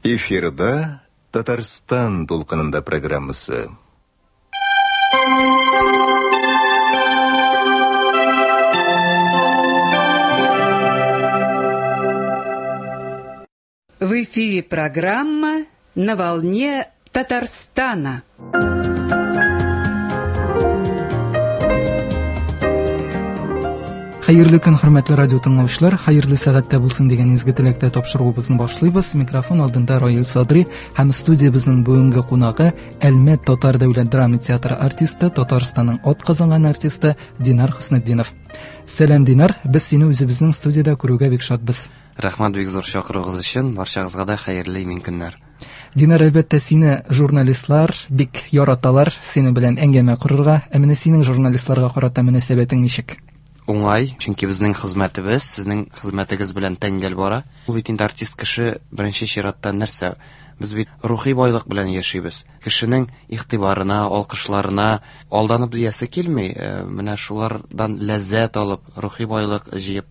Эфирда Татарстан дулкынында программасы. В эфире программа «На волне Татарстана». Хәерле көн, хөрмәтле радио тыңлаучылар, хәерле сәгатьтә булсын дигән изге теләктә тапшыруыбызны башлыйбыз. Микрофон алдында Раил Садри һәм студиябезнең бүгенге кунагы Әлмәт татар дәүләт драма театры артисты, Татарстанның атказанган артисты Динар Хөснетдинов. Сәлам, Динар, без сине үзебезнең студиядә күрүгә бик шатбыз. Рәхмәт бик зур чакыруыгыз өчен. Барчагызга да хәерле имин көннәр. Динар, әлбәттә, сине журналистлар бик яраталар, синең белән әңгәмә корырга. Ә менә синең журналистларга карата мөнәсәбәтең ничек? Уңай, чөнки безнең хезмәтебез сезнең хезмәтегез белән тәңгәл бара. Ул бит инде артист кеше беренче чиратта нәрсә? Без бит рухи байлык белән яшибез. Кешенең игътибарына, алкышларына алданып диясе килми. Менә шулардан ләззәт алып, рухи байлык җыеп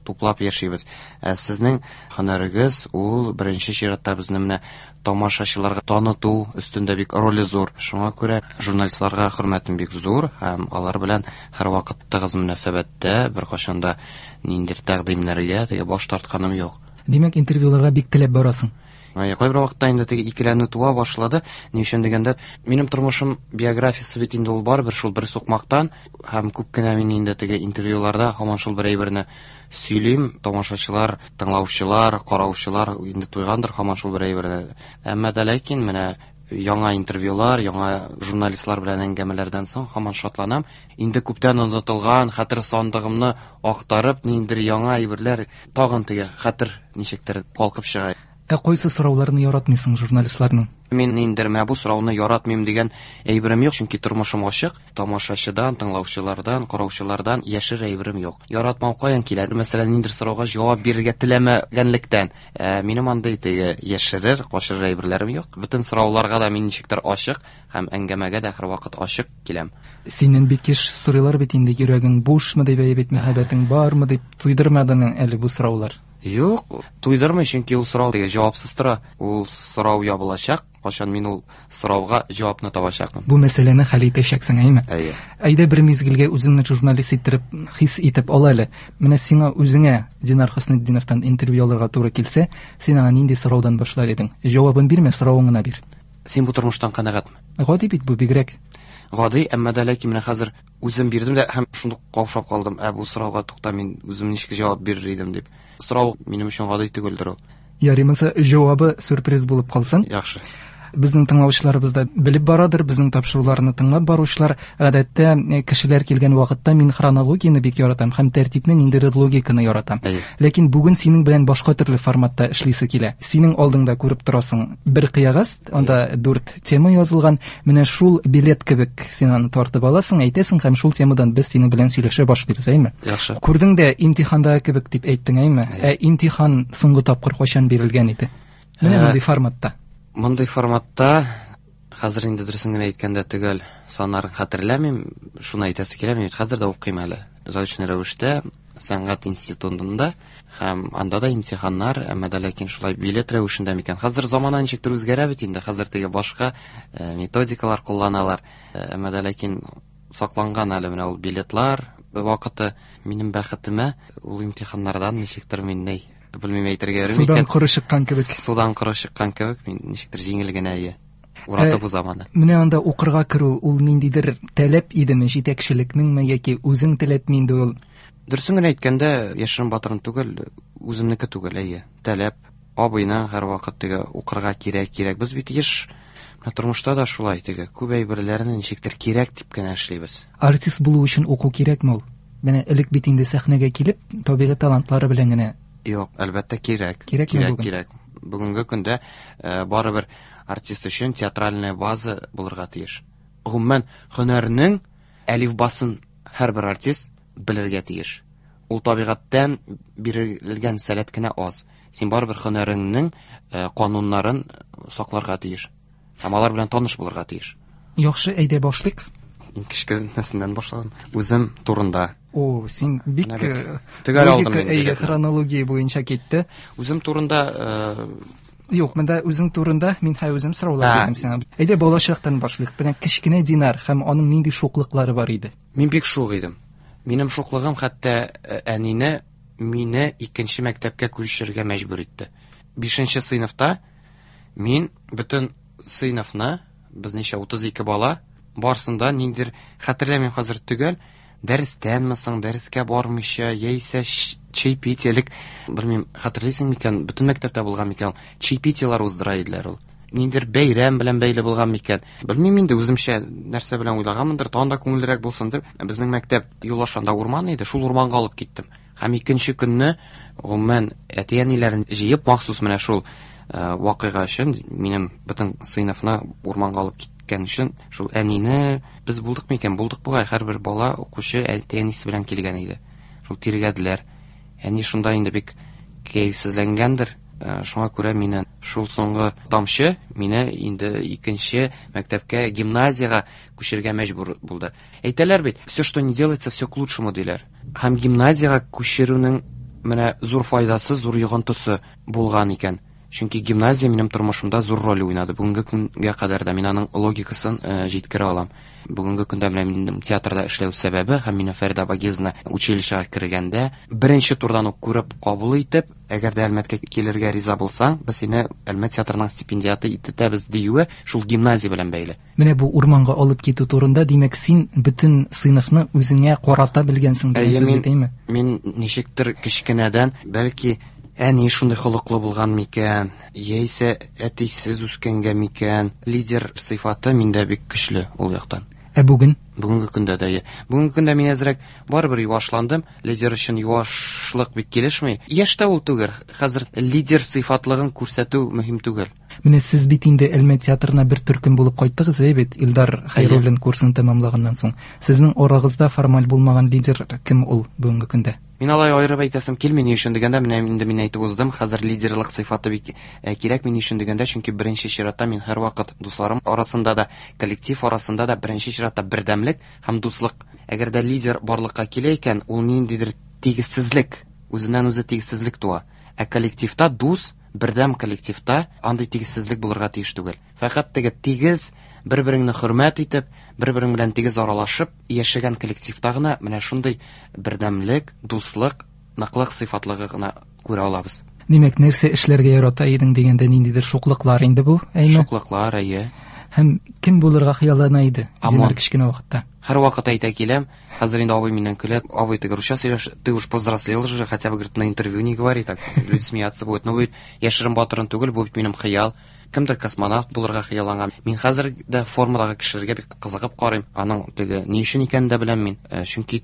туплап яшибез. Ә сезнең һөнәрегез ул беренче чиратта безне менә тамашачыларга таныту өстендә бик роле зур. Шуңа күрә журналистларга хөрмәтем бик зур һәм алар белән һәрвакыт тыгыз мөнәсәбәттә, беркайчан да ниндидер тәкъдимнәргә теге баш тартканым юк. Димәк, интервьюларга бик теләп барасың. Кайбер вакытта инде теге икеләнү туа башлады. Ни өчен дигәндә, минем тормышым биографиясе бит инде ул барыбер шул бер сукмактан һәм күп кенә мин инде теге интервьюларда һаман шул бер әйберне сөйлим. Тамашачылар, тыңлаучылар, караучылар инде туйгандыр һаман шул бер әйберне. Әмма дә ләкин менә яңа интервьюлар, яңа журналистлар белән әңгәмәләрдән соң һаман шатланам. Инде күптән онытылган хәтер сандыгымны актарып, ниндидер яңа әйберләр тагын теге хәтер ничектер калкып чыга. Ә кайсы сорауларны яратмыйсың журналистларның? Мин ниндидер менә бу сорауны яратмыйм дигән әйберем юк, чөнки тормышым ачык. Тамашачыдан, тыңлаучылардан, караучылардан яшер әйберем юк. Яратмау каян килә? Мәсәлән, ниндидер сорауга җавап бирергә теләмәгәнлектән. Минем андый теге яшерер, качырыр әйберләрем юк. Бөтен сорауларга да мин ничектер ачык һәм әңгәмәгә дә һәрвакыт ачык киләм. Синнән бик еш сорыйлар бит инде, йөрәгең бушмы дип, әй бит, мәхәббәтең бармы дип, туйдырмадымы әле бу сораулар? Юк, туйдырмый, чөнки ул сорау теге җавапсыз тора. Ул сорау ябылачак, кайчан мин ул сорауга җавапны табачакмын. Бу мәсьәләне хәл итәчәксең, әйме? Әйе. Әйдә бер мизгелгә үзеңне журналист иттереп, хис итеп ал әле. Менә сиңа үзеңә Динар Хөснетдиновтан интервью алырга туры килсә, син аңа нинди сораудан башлар идең? Җавабын бирмә, соравын гына бир. Син бу тормыштан канәгатьме? Гади бит бу, бигрәк. Гади, әмма дә ләкин менә хәзер үзем бирдем дә һәм шундук каушап калдым. Ә бу сорауга тукта, мин үзем ничек җавап бирер идем дип. Сорау минем өчен гади түгелдер ул. Ярый, монысы җавабы сюрприз булып калсын. Яхшы. Безнең тыңлаучыларыбыз да белеп барадыр, безнең тапшыруларны тыңлап баручылар, гадәттә, кешеләр килгән вакытта мин хронологияне бик яратам һәм тәртипне, ниндидер логиканы яратам. Әйе. Ләкин бүген синең белән башка төрле форматта эшлисе килә. Синең алдыңда күреп торасың бер кыягаз, анда 4 тема язылган. Менә шул билет кебек син аны тартып аласың, әйтәсең һәм шул темадан без синең белән сөйләшә башлыйбыз, әйме? Яхшы. Күрдең дә имтихандагы кебек дип әйттең, әйме? Әйе. Ә имтихан соңгы тапкыр кайчан бирелгән иде? Менә мондый форматта. Мондый форматта хәзер инде дөресен генә әйткәндә төгәл саннарын хәтерләмим, шуны әйтәсе килә, мин бит хәзер дә укыйм әле. Заочный рәвештә сәнгать институтында һәм анда да имтиханнар, әмма дә ләкин шулай билет рәвешендә микән. Хәзер замана ничектер үзгәрә бит инде, хәзер теге башка методикалар кулланалар. Әмма дә ләкин сакланган әле менә ул билетлар вакыты. Минем бәхетемә ул имтиханнардан ничектер мин ни белмим әйтергә йөрим Судан икән. коры чыккан кебек. Судан коры чыккан кебек, мин ничектер җиңел генә ие. Уратып узам аны. Менә анда укырга керү ул ниндидер таләп идеме, җитәкчелекнеңме яки үзең теләпме инде ул? Дөресен генә әйткәндә, яшерен батырын түгел, үземнеке түгел, әйе. Таләп, абыйның һәрвакыт теге укырга кирәк, кирәк. Без бит еш менә тормышта да шулай теге күп әйберләрне ничектер кирәк дип кенә эшлибез. Артист булу өчен уку кирәкме ул? Менә элек бит инде сәхнәгә килеп, табигый талантлары белән генә. Юк, әлбәттә кирәк. Кирәкме Кирәк, бүген? кирәк. Бүгенге көндә барыбер артист өчен театральная база булырга тиеш. Гомумән, һөнәрнең әлифбасын һәрбер артист белергә тиеш. Ул табигатьтән бирелгән сәләт кенә аз. Син барыбер һөнәреңнең кануннарын сакларга тиеш. Һәм алар белән таныш булырга тиеш. Яхшы, әйдә башлыйк. Иң кечкенәсеннән башладым. Үзем турында. О, син бик төгәл алдым инде. Хронология буенча китте. Үзем турында Юк, монда үзең турында мин һәм үзем сораулар бирдем сиңа. Әйдә балачактан башлыйк. Менә кечкенә Динар һәм аның нинди шуклыклары бар иде? Мин бик шук идем. Минем шуклыгым хәтта әнине мине икенче мәктәпкә күчерергә мәҗбүр итте. 5 сыйныфта мин бөтен сыйныфны, без ничә 32 бала, барсында ниндидер, хәтерләмим хәзер төгәл, дәрестәнме соң, дәрескә бармыйча, яисә чаепитие, элек, белмим, хәтерлисең микән, бөтен мәктәптә булган микән, чаепитиелар уздыра иделәр ул. Ниндидер бәйрәм белән бәйле булган микән. Белмим инде, үземчә нәрсә белән уйлаганмындыр, тагын да күңеллерәк булсын дип, безнең мәктәп юл ашанда урман иде, шул урманга алып киттем. Һәм икенче көнне, гомумән, әти-әниләрен җыеп, махсус менә шул вакыйга өчен, минем бөтен сыйныфны урманга алып киткән өчен, шул әнине без булдык микән? Булдык бугай, һәрбер бала укучы әти-әнисе белән килгән иде. Шул тиргәделәр. Әни шунда инде бик кәефсезләнгәндер. Шуңа күрә мине шул соңгы тамчы мине инде икенче мәктәпкә, гимназиягә күчергә мәҗбүр булды. Әйтәләр бит, все, что не делается, все к лучшему, диләр. Һәм гимназиягә күчерүнең менә зур файдасы, зур йогынтысы булган икән. Чөнки гимназия минем тормышымда зур роль уйнады. Бүгенге көнгә кадәр дә мин аның логикасын җиткерә алам. Бүгенге көндә менә минем театрда эшләү сәбәбе һәм минем Фәридә Багизовна училищега кергәндә беренче турдан ук күреп кабул итеп, әгәр дә Әлмәткә килергә риза булсаң, без сине Әлмәт театрының стипендиаты итәбез диюе шул гимназия белән бәйле. Менә бу урманга алып китү турында, димәк, син бөтен сыйныфны үзеңә карата белгәнсең дигән сүз бит, әйме? Мин ничектер кечкенәдән, бәлки әни шундый холыклы булган микән, яисә әтисез үскәнгә микән, лидер сыйфаты миндә бик көчле ул яктан. Ә бүген? Бүгенге көндә дә. Бүгенге көндә мин әзрәк барыбер юашландым. Лидер өчен юашлык бик килешми. Яшь тә ул түгел. Хәзер лидер сыйфатлыгын күрсәтү мөһим түгел. Менә сез бит инде Әлмәт театрына бер төркем булып кайттыгыз, әй бит, Илдар Хәйруллин курсын тәмамлаганнан соң. Сезнең арагызда формаль булмаган лидер кем ул бүгенге көндә? Мин алай аерып әйтәсем килми, ни өчен дигәндә, менә инде мин әйтеп уздым, хәзер лидерлык сыйфаты бик кирәк, ни өчен дигәндә, чөнки беренче чиратта мин һәрвакыт дусларым арасында да, коллектив арасында да беренче чиратта бердәмлек һәм дуслык. Әгәр дә лидер барлыкка килә икән, ул ниндидер тигезсезлек, үзеннән үзе тигезсезлек туа. Ә коллективта дус, бердәм коллективта андый тигезсезлек булырга тиеш түгел. Фәкать теге тигез, бер-береңне хөрмәт итеп, бер-берең белән тигез аралашып яшәгән коллективта гына менә шундый бердәмлек, дуслык, ныклык сыйфатлыгы гына күрә алабыз. Димәк, нәрсә эшләргә ярата идең дигәндә ниндидер шуклыклар инде бу, әйме? Шуклыклар, әйе. Һәм кем булырга хыяллана иде Динар кечкенә вакытта? Һәрвакыт әйтә киләм, хәзер инде абый миннән көлә, абый теге русча сөйләш, ты уж повзрослел же, хотя бы, говорит, на интервью не говори, так люди смеяться будут. Но бу бит яшерен батырын түгел, бу бит минем хыял. Кемдер космонавт булырга хыялланган. Мин хәзер дә формадагы кешеләргә бик кызыгып карыйм. Аның теге ни өчен икәнен дә беләм мин. Чөнки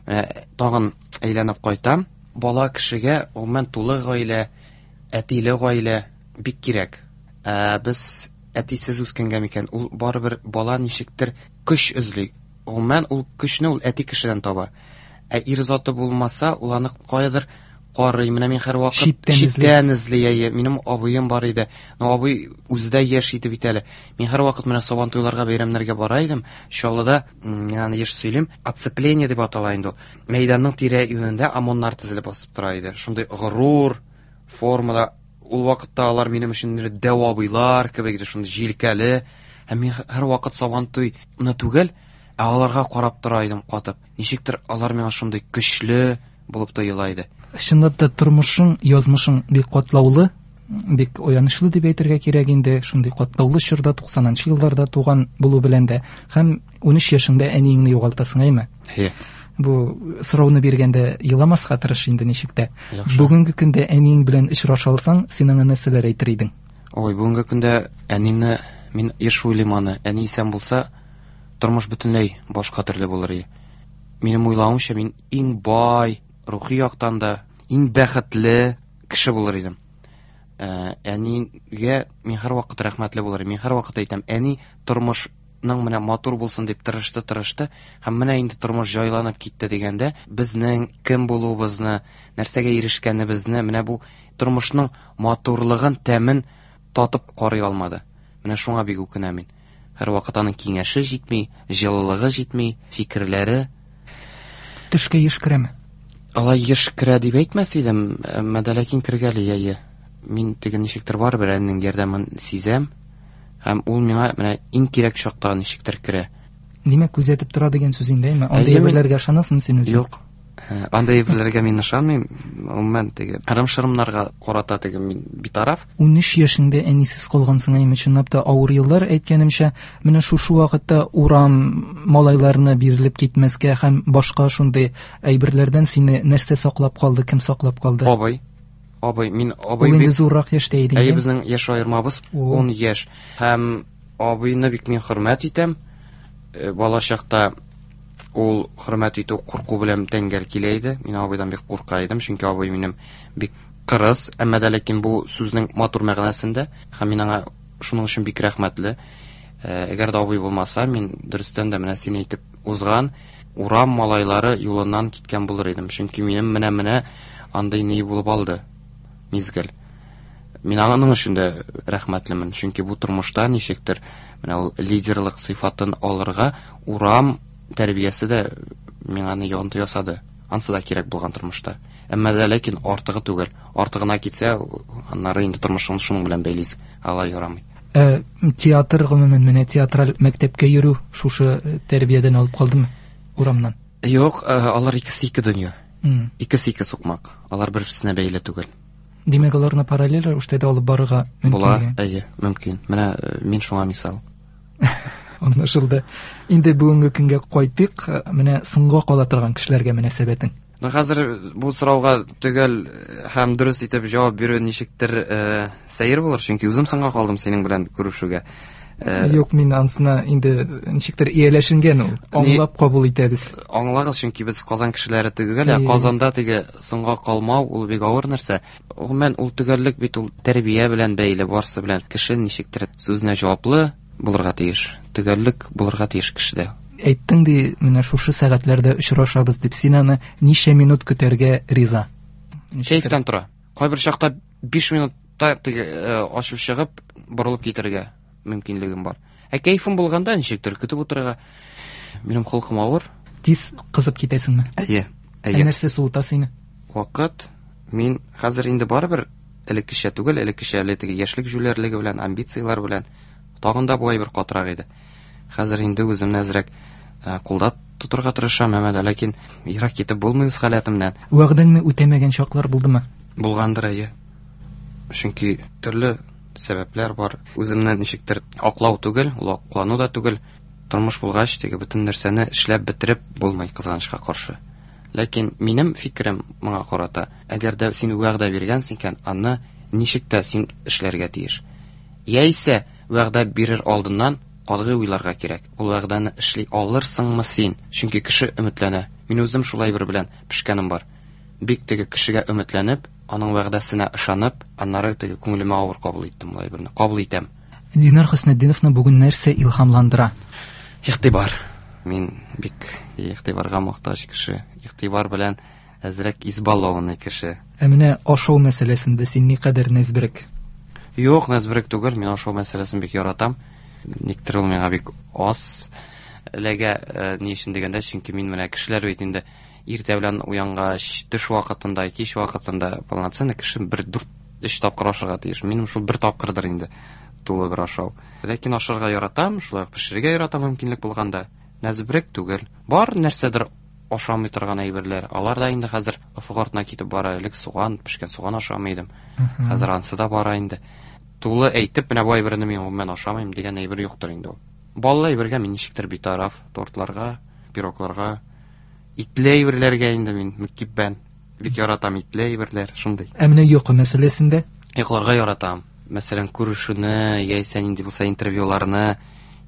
тагын әйләнеп кайтам. Бала кешегә гомумән тулы гаилә, әтиле гаилә бик кирәк. Без әтисез үскәнгә микән, ул барыбер бала ничектер көч эзли. Гомумән ул көчне ул әти кешедән таба. Ә ир заты булмаса, ул аны каядыр карый. Менә мин һәрвакыт читтән эзли. Әйе, минем абыем бар иде. Но абый үзе дә яшь иде бит әле. Мин һәрвакыт менә Сабантуйларга, бәйрәмнәргә бара идем. Чаллыда, мин аны еш сөйлим, оцепление дип атала инде ул. Мәйданның тирә-юнендә ОМОНнар тезелеп басып тора иде. Шундый горур формада. Ул вакытта алар минем өчен дәү абыйлар кебек иде, шундый җилкәле. Һәм мин һәрвакыт Сабантуйны түгел, ә аларга карап тора идем катып. Ничектер алар миңа шундый көчле булып тоела иде. Чынлап та тормышың, язмышың бик катлаулы, бик аянычлы дип әйтергә кирәк инде. Шундый катлаулы чорда, туксанынчы елларда туган булу белән дә. Һәм 13 яшеңдә әниеңне югалтасың, әйме? Әйе. Бу сорауны биргәндә еламаска тырыш инде ничек тә. Яхшы. Бүгенге көндә әниең белән очраша алсаң, син аңа нәрсәләр әйтер идең? Ой, бүгенге көндә әнине мин еш уйлыйм аны. Әни исән булса, тормыш бөтенләй башка төрле булыр иде. Минем уйлавымча, мин иң бай, рухи яктан да иң бәхетле кеше булыр идем. Әнигә мин һәрвакыт рәхмәтле булыр идем. Мин һәрвакыт әйтәм, әни тормышның менә матур булсын дип тырышты, тырышты һәм менә инде тормыш җайланып китте дигәндә, безнең кем булуыбызны, нәрсәгә ирешкәнебезне, менә бу тормышның матурлыгын, тәмен татып карый алмады. Менә шуңа бик үкенәм мин. Һәрвакыт аның киңәше җитми, җылылыгы җитми, фикерләре. Төшкә еш керәме? Алай еш керә дип әйтмәс идем, әмма дә ләкин кергәли, әйе. Мин теге ничектер барыбер әнинең ярдәмен сизәм, һәм ул миңа менә иң кирәк чакта ничектер керә. Димәк, күзәтеп тора дигән сүз инде, әйме? Андый әйберләргә ышанасың син үзең? Юк. Андый әйберләргә мин ышанмыйм. Гомумән, теге ырым-шырымнарга карата теге мин битараф. 13 яшеңдә әнисез калгансың, әйме? Чынлап та авыр еллар, әйткәнемчә, менә шушы вакытта урам малайларына бирелеп китмәскә һәм башка шундый әйберләрдән сине нәрсә саклап калды, кем саклап калды? Абый. Абый, мин абый Ул инде зуррак яшьтә иде. Әйе, безнең яшь аермабыз 10 яшь. Һәм абыйны бик мин хөрмәт итәм. Бала чакта ул хөрмәт итү курку белән тәңгәл килә иде. Мин абыйдан бик курка идем, чөнки абый минем бик кырыс, әмма дә ләкин бу сүзнең матур мәгънәсендә, һәм мин аңа шуның өчен бик рәхмәтле. Әгәр дә абый булмаса, мин дөрестән дә менә син әйтеп узган урам малайлары юлыннан киткән булыр идем. Чөнки минем менә-менә андый ни булып алды мизгел. Мин аның өчен дә рәхмәтлемен, чөнки бу тормышта ничектер менә ул лидерлык сыйфатын алырга урам тәрбиясе дә миңа аны йогынты ясады. Ансы да кирәк булган тормышта. Әмма дә ләкин артыгы түгел. Артыгына китсә, аннары инде тормышыңны шуның белән бәйлисең. Алай ярамый. Ә театр, гомумән, менә театраль мәктәпкә йөрү шушы тәрбиядән алып калдымы урамнан? Юк, алар икесе ике дөнья. Икесе ике сукмак. Алар бер-берсенә бәйле түгел. Димәк, аларны параллель рәвештә дә алып барырга мөмкин. Була, әйе, мөмкин. Менә мин шуңа мисал. Аңлашылды. Инде бүгенге көнгә кайтыйк. Менә соңга кала торган кешеләргә мөнәсәбәтең. Ну, хәзер бу сорауга төгәл һәм дөрес итеп җавап бирү ничектер сәер булыр, чөнки үзем соңга калдым синең белән күрешүгә. Юк, мин ансына инде ничектер ияләшенгән ул. Аңлап кабул итәбез. Аңлагыз, чөнки без Казан кешеләре түгел, ә Казанда теге соңга калмау ул бик авыр нәрсә. Гомумән, ул төгәллек бит ул тәрбия белән бәйле, барсы белән. Кеше ничектер сүзенә җаваплы булырга тиеш. Төгәллек булырга тиеш кешедә. Әйттең ди, менә шушы сәгатьләрдә очрашабыз дип, син аны ничә минут көтәргә риза? Кәефтән тора. Кайбер чакта 5 минутта теге ачу чыгып, борылып китәргә мөмкинлегем бар. Ә кәефем булганда ничектер көтеп утырырга. Минем холкым авыр. Тиз кызып китәсеңме? Әйе, әйе. Ә нәрсә суыта сине? Вакыт. Мин хәзер инде барыбер элеккечә түгел, элеккечә әле теге яшьлек җүләрлеге белән, амбицияләр белән тагын да бу әйбер катырак иде. Хәзер инде үземне әзрәк кулда тотырга тырышам, әмма дә ләкин ерак китеп булмый үз халәтемнән. Вәгъдәңне үтәмәгән чаклар булдымы? Булгандыр, әйе. Чөнки төрле сәбәпләр бар. Үземне ничектер аклау түгел, ул аклану да түгел. Тормыш булгач, теге бөтен нәрсәне эшләп бетереп булмый, кызганычка каршы. Ләкин минем фикерем моңа карата, әгәр дә син вәгъдә биргәнсең икән, аны ничек тә син эшләргә тиеш. Яисә вәгъдә бирер алдыннан катгый уйларга кирәк. Ул вәгъдәне эшли алырсыңмы син? Чөнки кеше өметләнә. Мин үзем шулай бер белән пешкәнем бар. Бик теге кешегә өметләнеп, аның вәгъдәсенә ышанып, аннары теге күңелемә авыр кабул иттем ул әйберне. Кабул итәм. Динар Хөснетдиновны бүген нәрсә илһамландыра? Игътибар. Мин бик игътибарга мохтаҗ кеше. Игътибар белән әзрәк избалованный кеше. Ә менә ашау мәсьәләсендә син никадәр нәзберек? Юк, нәзберек түгел. Мин ашау мәсьәләсен бик яратам. Никтер ул миңа бик аз эләгә. Ни өчен дигәндә, чөнки мин менә кешеләр бит инде иртә белән уянгач, төш вакытында, кич вакытында полноценный кеше бер 4-3 тапкыр ашарга тиеш. Минем шул бер тапкырдыр инде тулы бер ашау. Ләкин ашарга яратам, шулай ук пешерергә яратам мөмкинлек булганда. Нәзберек түгел. Бар нәрсәдер ашамый торган әйберләр. Алар да инде хәзер офык артына китеп бара. Элек суган, пешкән суган ашамый идем. Хәзер ансы да бара инде. Тулы әйтеп, менә бу әйберне мин гомумән ашамыйм дигән әйбер юктыр инде ул. Баллы әйбергә мин ничектер битараф, тортларга, пирогларга, итле әйберләргә инде мин мөкиббән. Бик яратам итле әйберләр, шундый. Ә менә йокы мәсьәләсендә? Йокларга яратам. Мәсәлән, күрешүне, яисә нинди булса интервьюларны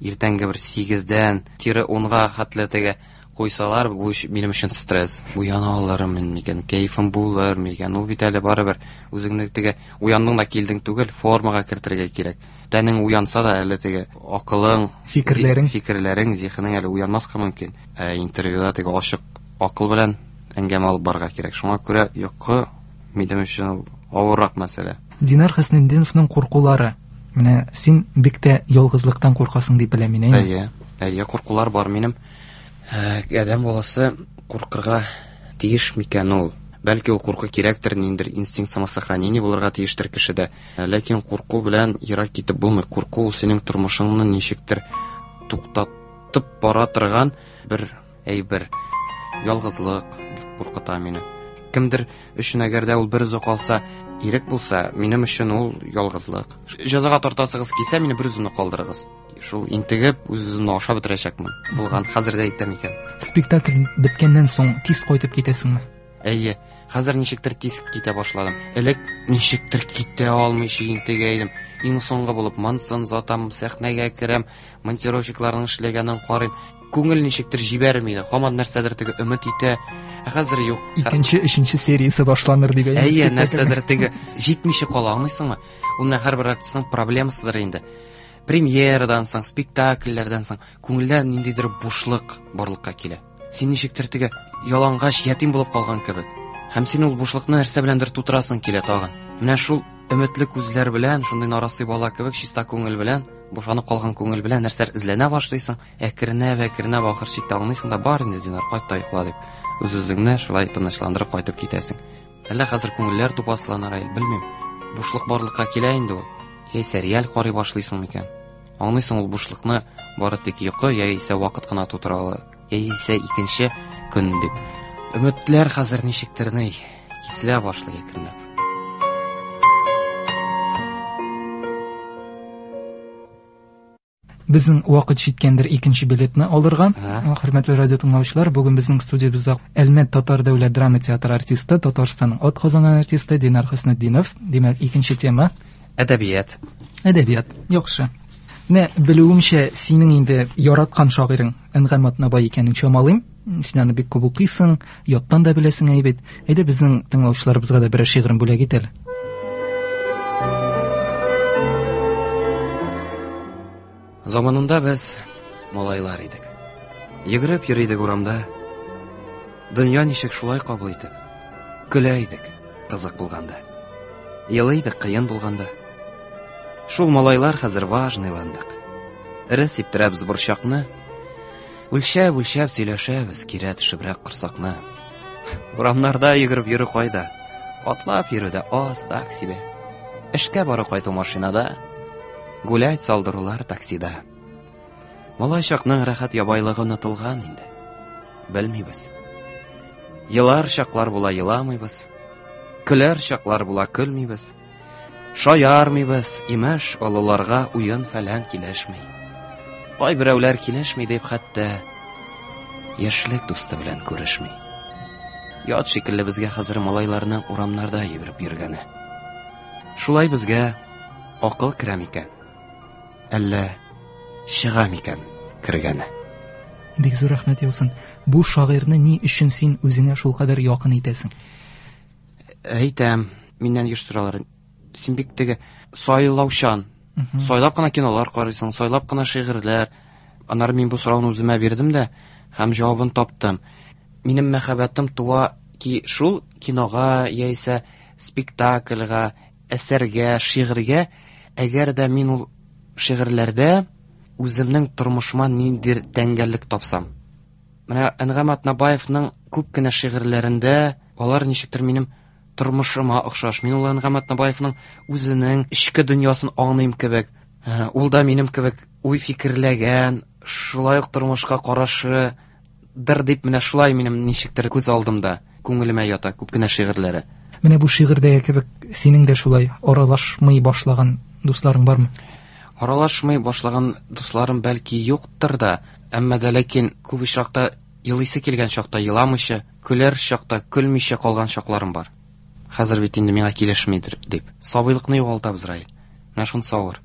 иртәнге бер 8-дән тире 10-га хәтле теге куйсалар, бу минем өчен стресс. Уяна алырмын микән, кәефем булыр микән? Ул бит әле барыбер үзеңне теге уяндың да килдең түгел, формага кертергә кирәк. Тәнең уянса да әле теге акылың, фикерләрең, зиһенең әле уянмаска мөмкин. Ә интервьюда теге ачык акыл белән әңгәмә алып барырга кирәк. Шуңа күрә йокы минем өчен ул авыррак мәсьәлә. Динар Хөснетдиновның куркулары. Менә син бик тә ялгызлыктан куркасың дип беләм мин, әйеме? Әйе, әйе, куркулар бар минем. Адәм баласы куркырга тиеш микән ул? Бәлки ул курку кирәктер, ниндидер инстинкт самосохранения булырга тиештер кешедә. Ләкин курку белән ерак китеп булмый. Курку ул синең тормышыңны ничектер туктатып бара торган бер әйбер. Ялгызлык бик куркыта мине. Кемдер өчен әгәр дә ул бер үзе калса, ирек булса, минем өчен ул ялгызлык. Җәзага тартасыгыз килсә, мине бер үземне калдырыгыз. Шул интегеп, үз-үземне ашап бетерәчәкмен. Булган, хәзер дә әйтәм икән. Спектакль беткәннән соң тиз кайтып китәсеңме? Әйе, хәзер ничектер тиз китә башладым. Элек ничектер китә алмыйча интегә идем. Иң соңгы булып монысын озатам, сәхнәгә керәм, монтировщикларның эшләгәнен карыйм. Күңел ничектер җибәрми иде. Һаман нәрсәдер теге өмет итә. Ә хәзер юк. Икенче, өченче сериясе башланыр дип әйе. Әйе, нәрсәдер теге җитмичә кала, аңлыйсыңмы? Ул менә һәрбер артистның проблемасыдыр инде. Премьерадан соң, спектакльләрдән соң күңелдә ниндидер бушлык барлыкка килә. Син ничектер теге ялангач ятим булып калган кебек. Һәм син ул бушлыкны нәрсә беләндер тутырасың килә тагын. Менә шул өметле күзләр белән, шундый нарасый бала кебек чиста күңел белән, бушанып калган күңел белән нәрсәләр эзләнә башлыйсың. Әкренләп, әкренләп ахыр чиктә аңлыйсың да, бар инде, Динар, кайт та йокла дип. Үз-үзеңне шулай тынычландырып кайтып китәсең. Әллә хәзер күңелләр тупасланыр, әй, белмим. Бушлык барлыкка килә инде ул. Яисә реаль карый башлыйсың микән? Аңлыйсың ул бушлыкны бары тик йокы яисә вакыт кына тутыра ала, яисә икенче көн дип. Өметләр хәзер ничектер ни, киселә башлый әкренләп. Безнең вакыт җиткәндер икенче билетны алырга. Хөрмәтле радио тыңлаучылар, бүген безнең студиябездә Әлмәт татар дәүләт драма театры артисты, Татарстанның ат казанган артисты Динар Хөснетдинов. Димәк, икенче тема әдәбият. Әдәбият. Яхшы. Менә белүемчә, синең инде яраткан шагыйрең Әнгам Атнабай икәнен чамалыйм. Син аны бик күп укыйсың, яттан да беләсең әйбәт. Әйдә безнең тыңлаучыларыбызга да берәр шигырен бүләк ит әле. Заманында без малайлар идек. Йөгереп йөри идек урамда. Дөнья ничек шулай кабул итеп. Көлә идек, кызык булганда. Елый идек, кыен булганда. Шул малайлар хәзер важныйландык. Эре сиптерәбез борчакны. Үлчәп-үлчәп сөйләшәбез, кирә төшебрәк корсакны. Урамнарда йөгереп йөрү кайда? Атлап йөрү дә аз, так себе. Эшкә бару кайту машинада, гулять салдырулар таксида. Малай чакның рәхәт ябайлыгы онытылган инде. Белмибез. Елар чаклар була еламыйбыз. Көләр чаклар була көлмибез. Шаярмыйбыз, имеш, олыларга уен фәлән килешми. Кайберәүләр килешми дип хәтта яшьлек дусты белән күрешми. Ят шикелле безгә хәзер малайларның урамнарда йөгереп йөргәне. Шулай безгә акыл керә микән? Әллә чыга микән кергәне? Бик зур рәхмәт яусын. Бу шагыйрьне ни өчен син үзеңә шулкадәр якын итәсең? Әйтәм, миннән еш соралар. Син бик теге сайлаучан. Сайлап кына кинолар карыйсың, сайлап кына шигырьләр. Аннары мин бу сорауны үземә бирдем дә һәм җавабын таптым. Минем мәхәббәтем туа ки шул кинога яисә спектакльгә, әсәргә, шигырьгә, әгәр дә мин ул шигырьләрдә үземнең тормышыма ниндидер тәңгәллек тапсам. Менә Әнгам Атнабаевның күп кенә шигырьләрендә алар ничектер минем тормышыма охшаш. Мин ул Әнгам Атнабаевның үзенең эчке дөньясын аңлыйм кебек. Ул да минем кебек уй фикерләгән, шулай ук тормышка карашы дыр дип менә шулай минем ничектер күз алдымда, күңелемә ята күп кенә шигырьләре. Менә бу шигырьдәге кебек синең дә шулай аралашмый башлаган дусларың бармы? Аралашмый башлаган дусларым бәлки юктыр да, әмма дә ләкин күп очракта елыйсы килгән чакта еламыйча, көләр чакта көлмичә калган чакларым бар. Хәзер бит инде миңа килешмидер дип. Сабыйлыкны югалтабыз, Раил. Менә шунысы авыр.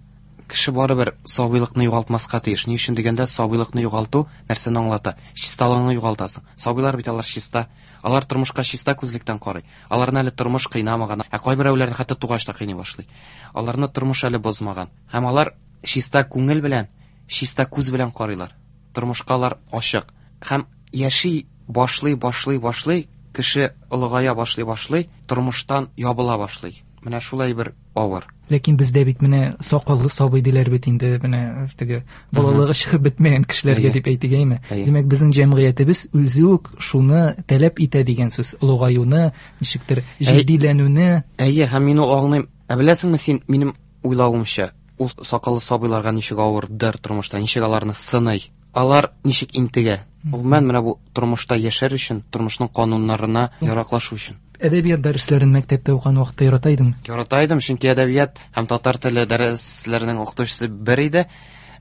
Кеше барыбер сабыйлыкны югалтмаска тиеш. Ни өчен дигәндә, сабыйлыкны югалту нәрсәне аңлата? Чисталыгыңны югалтасың. Сабыйлар бит алар чиста. Алар тормышка чиста күзлектән карый. Аларны әле тормыш кыйнамаган. Ә кайберәүләрне хәтта тугач та кыйный башлый. Аларны тормыш әле бозмаган. Һәм алар чиста күңел белән, чиста күз белән карыйлар. Тормышка алар ачык. Һәм яши башлый, башлый, башлый, кеше олыгая башлый, башлый, тормыштан ябыла башлый. Менә шулай бер авыр. Ләкин бездә бит менә сакаллы сабый диләр бит инде, менә теге балалыгы чыгып бетмәгән кешеләргә дип әйтик, әйме? Димәк, безнең җәмгыятебез үзе үк шуны таләп итә дигән сүз, олыгаюны, ничектер җитдиләнүне. Әйе, һәм мин ул аңлыйм. Ә беләсеңме син, минем уйлавымча, ул сакаллы сабыйларга ничек авырдыр тормышта, ничек аларны сыный. Алар ничек интегә. Гомумән, менә бу тормышта яшәр өчен, тормышның кануннарына яраклашу өчен. Әдәбият дәресләрен мәктәптә укыган вакытта ярата идеңме? Ярата идем, чөнки әдәбият һәм татар теле дәресләренең укытучысы бер иде.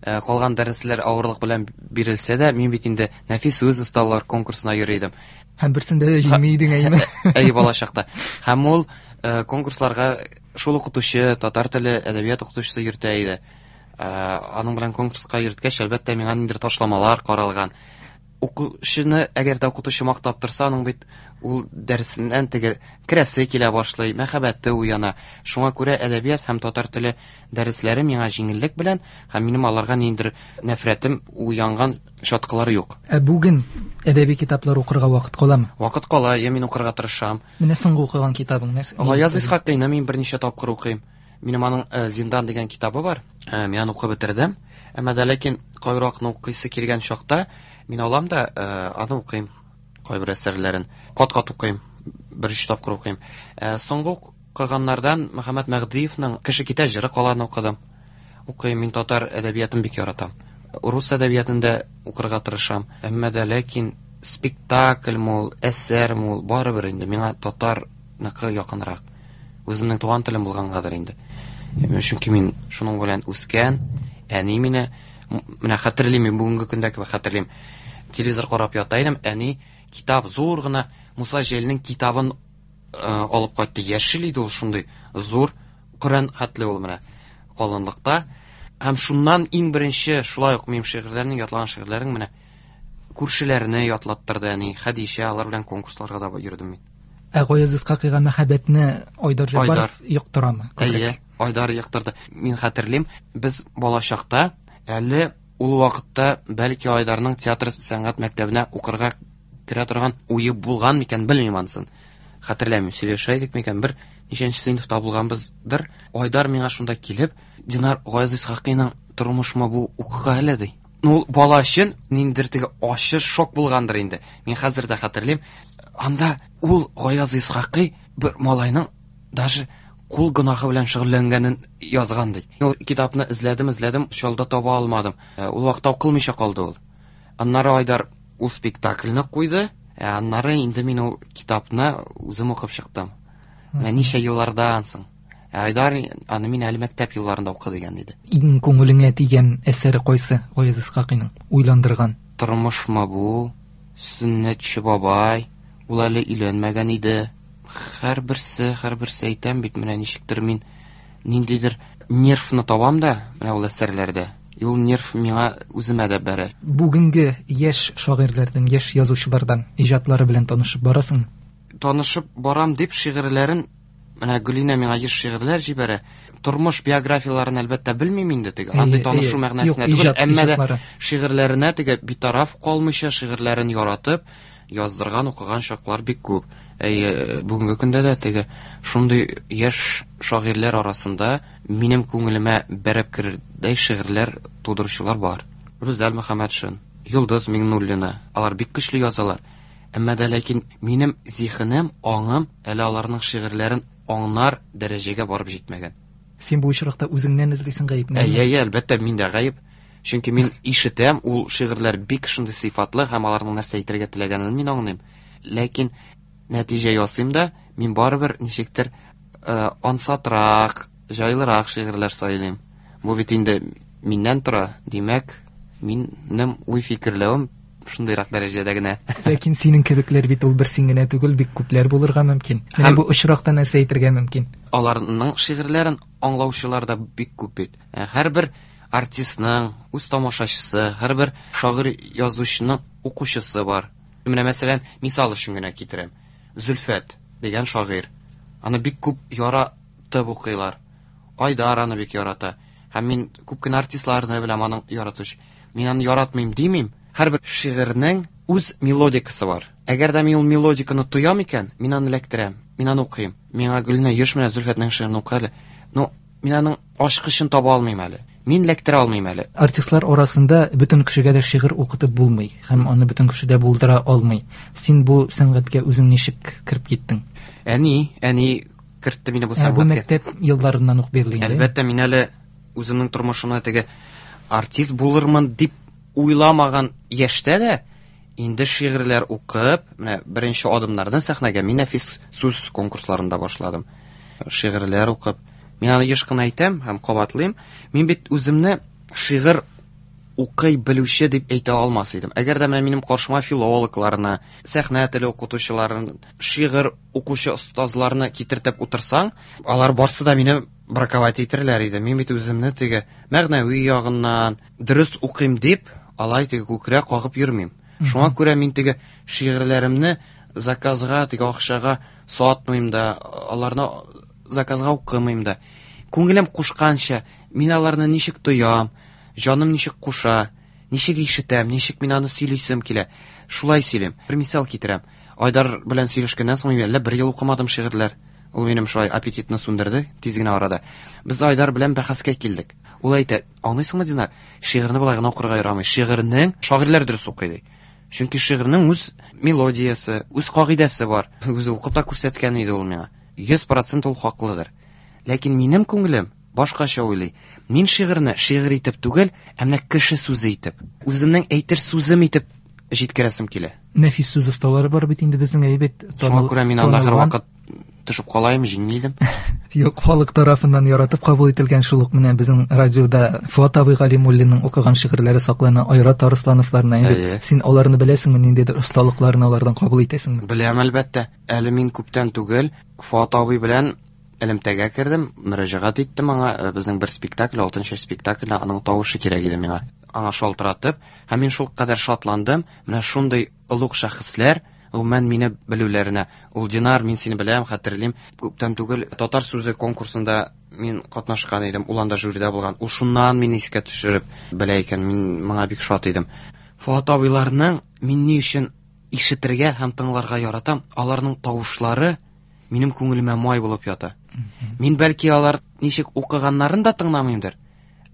Калган дәресләр авырлык белән бирелсә дә, мин бит инде нәфис сүз осталар конкурсына йөри идем. Һәм берсендә дә җиңми идең, әйеме? Әйе, балачакта. Һәм ул конкурсларга шул укытучы, татар теле, әдәбият укытучысы йөртә иде. Аның белән конкурска йөрткәч, әлбәттә, миңа ниндидер ташламалар каралган. Укучыны, әгәр дә укытучы мактап торса, аның бит ул дәресеннән теге керәсе килә башлый, мәхәббәте уяна. Шуңа күрә әдәбият һәм татар теле дәресләре миңа җиңеллек белән, һәм минем аларга ниндидер нәфрәтем уянган чаткылары юк. Ә бүген әдәби китаплар укырга вакыт каламы? Вакыт кала, я мин укырга тырышам. Менә соңгы укыган китабың нәрсә? Гаяз Исхакыйны мин берничә тапкыр укыйм. Минем аның Зиндан дигән китабы бар. Мин аны укып бетердем. Әмма дә ләкин кайракны укыйсы килгән чакта мин алам да аны укыйм. Кайбер әсәрләрен кат-кат укыйм, бер-өч тапкыр укыйм. Соңгы укыганнардан Мөхәммәт Мәһдиевның Кеше китә җыры каланы укыдым. Укыйм, мин татар әдәбиятын бик яратам. Рус әдәбиятын да укырга тырышам. Әмма дә ләкин спектакльме ул, әсәрме ул, барыбер инде миңа татарныкы якынрак. Үземнең туган телем булгангадыр инде. Чөнки мин шуның белән үскән, әни мине, менә хәтерлим, мин бүгенге көндә кебек хәтерлим. Телевизор карап ята идем, әни китап зур гына Муса Җәлилнең китабын алып кайтты. Яшел иде ул шундый зур, Коръән хәтле ул менә калынлыкта. Һәм шуннан иң беренче шулай ук минем шигырьләрнең, ятлаган шигырьләрнең менә күршеләрне ятлаттырды әни, Хәдичә, алар белән конкурсларга да йөрдем мин. Ә Гаяз Исхакыйга мәхәббәтне Айдар Җаббаров йоктырамы? Әйе, Айдар йоктырды. Мин хәтерлим, без балачакта әле ул вакытта бәлки Айдарның театр сәнгать мәктәбенә укырга керә торган уе булган микән, белмим анысын. Хәтерләмим, сөйләшә идек микән, бер ничәнче сыйныфта булганбыздыр. Айдар миңа шунда килеп, Динар, Гаяз Исхакыйның тормышмы бу, укыга әле, ди. Ну, ул бала өчен ниндидер теге ачы шок булгандыр инде. Мин хәзер дә хәтерлим. Анда ул Гаяз Исхакый бер малайның даже кул гөнаһы белән шөгыльләнгәнен язган ди. Ул китапны эзләдем, эзләдем, чалда таба алмадым. Ул вакытта укылмыйча калды ул. Аннары Айдар ул спектакльне куйды, ә аннары инде мин ул китапны үзем укып чыктым. Менә ничә еллардан соң. Ә Айдар аны мин әле мәктәп елларында укы дигән иде. Иң күңелеңә тигән әсәре кайсы Гаяз Исхакыйның? Уйландырган. Тормышмы бу? Сөннәтче бабай, ул әле өйләнмәгән иде. Һәрберсе, һәрберсе әйтәм бит, менә ничектер мин ниндидер нервны табам да, менә ул әсәрләрдә. И ул нерв миңа үземә дә бәрә. Бүгенге яшь шагыйрьләрдән, яшь язучылардан иҗатлары белән танышып барасыңмы? Танышып барам дип шигырьләрен, менә Гөлинә миңа еш шигырьләр җибәрә. Тормыш биографияләрен әлбәттә белмим инде теге. Андый танышу мәгънәсенә түгел, әмма дә шигырьләренә теге битараф калмыйча шигырьләрен яратып яздырган, укыган чаклар бик күп. Әйе, бүгенге көндә дә теге шундый яшь шагыйрьләр арасында минем күңелемә бәреп керердәй шигырьләр тудыручылар бар. Рүзәл Мөхәммәтшин, Йолдыз Миңнуллина, алар бик көчле язалар. Әмма дә ләкин минем зиһенем, аңым әле аларның шигырьләрен аңнар дәрәҗәгә барып җитмәгән. Син бу очракта үзеңнән эзлисең гаепне? Әйе, әйе, әлбәттә, мин дә гаеп. Чөнки мин ишетәм, ул шигырьләр бик шундый сыйфатлы һәм аларның нәрсә әйтергә теләгәнен мин аңлыйм. Ләкин нәтиҗә ясыйм да, мин барыбер ничектер ансатрак, җайлырак шигырьләр сайлыйм. Бу бит инде миннән тора, димәк, минем уй-фикерләвем шундыйрак дәрәҗәдә генә. Ләкин синең кебекләр бит ул бер син генә түгел, бик күпләр булырга мөмкин. Менә бу очракта нәрсә әйтергә мөмкин? Аларның шигырьләрен аңлаучылар да бик күп бит. Һәрбер артистның үз тамашачысы, һәрбер шагыйрь язучының укучысы бар. Менә мәсәлән, мисал өчен генә китерәм. Зөлфәт дигән шагыйрь. Аны бик күп яратып укыйлар. Айдар аны бик ярата. Һәм мин күп кенә артистларны беләм аның яратучы. Мин аны яратмыйм димим. Һәрбер шигырьнең үз мелодикасы бар. Әгәр дә мин ул мелодиканы тоям икән, мин аны эләктерәм, мин аны укыйм. Миңа Гөлнә еш менә Зөлфәтнең шигырен укы әле. Ну, Мин аның ачкычын таба алмыйм әле. Мин ләктерә алмыйм әле. Артистлар арасында бөтен кешегә дә шигырь укытып булмый һәм аны бөтен кеше дә булдыра алмый. Син бу сәнгатькә үзең ничек кереп киттең? Әни, әни кертте мине бу Ә, бу сәнгатькә. мәктәп елларыннан ук бирле инде. Әлбәттә, мин әле үземнең тормышымда теге артист булырмын дип уйламаган яшьтә дә инде шигырьләр укып, менә беренче адымнарны сәхнәгә мин нәфис сүз конкурсларында башладым. Шигырьләр укып, мин аны еш кына әйтәм һәм кабатлыйм. Мин бит үземне шигырь укый белүче дип әйтә алмас идем. Әгәр дә менә минем каршыма филологларны, сәхнә теле укытучыларын, шигырь укучы остазларны китертеп утырсаң, алар барсы да мине браковать итерләр иде. Мин бит үземне теге мәгънәви ягыннан дөрес укыйм дип, алай теге күкрәк кагып йөрмим. Шуңа күрә мин теге шигырьләремне заказга, теге акчага сатмыйм да, аларны заказга укымыйм да. Күңелем кушканча, мин аларны ничек тоям, җаным ничек куша, ничек ишетәм, ничек мин аны сөйлисем килә. Шулай сөйлим. Бер мисал китерәм. Айдар белән сөйләшкәннән соң мин әллә бер ел укымадым шигырьләр. Ул минем шулай аппетитны сүндерде тиз генә арада. Без Айдар белән бәхәскә килдек. Ул әйтә, аңлыйсыңмы, Динар, шигырьне болай гына укырга ярамый. Шигырьнең шагыйрьләр дөрес укый ди. Чөнки шигырьнең үз мелодиясе, үз кагыйдәсе бар. Үзе укып та күрсәткән иде ул миңа. 100% ул хаклыдыр. Ләкин минем күңелем башкача уйлый. Мин шигырьне шигырь итеп түгел, ә менә кеше сүзе итеп, үземнең әйтер сүзем итеп җиткерәсем килә. Нәфис сүз осталары бар бит инде безнең әйбәт. Шуңа күрә мин анда һәрвакыт төшеп калайым, җиңми идем. Юк, халык тарафыннан яратып кабул ителгән шул ук менә безнең радиода Фуат абый Галимуллинның укыган шигырьләре саклана, Айрат Арыслановларны инде. Әйе. Син аларны беләсеңме, ниндидер осталыкларны алардан кабул итәсеңме? Беләм, әлбәттә. Әле мин күптән түгел Фуат абый белән элемтәгә кердем, мөрәҗәгать иттем аңа. Безнең бер спектакль, Алтын чәч спектакле, аның тавышы кирәк иде миңа. Аңа шалтыратып, һәм мин шул кадәр шатландым, менә шундый олуг шәхесләр гомумән мине белүләренә. Ул Динар, мин сине беләм, хәтерлим. Күптән түгел татар сүзе конкурсында мин катнашкан идем, ул анда жюрида булган. Ул шуннан мине искә төшереп белә икән, мин моңа бик шат идем. Фуат абыйларның мин ни өчен ишетергә һәм тыңларга яратам, аларның тавышлары минем күңелемә май булып ята. Мин бәлки алар ничек укыганнарын да тыңламыймдыр,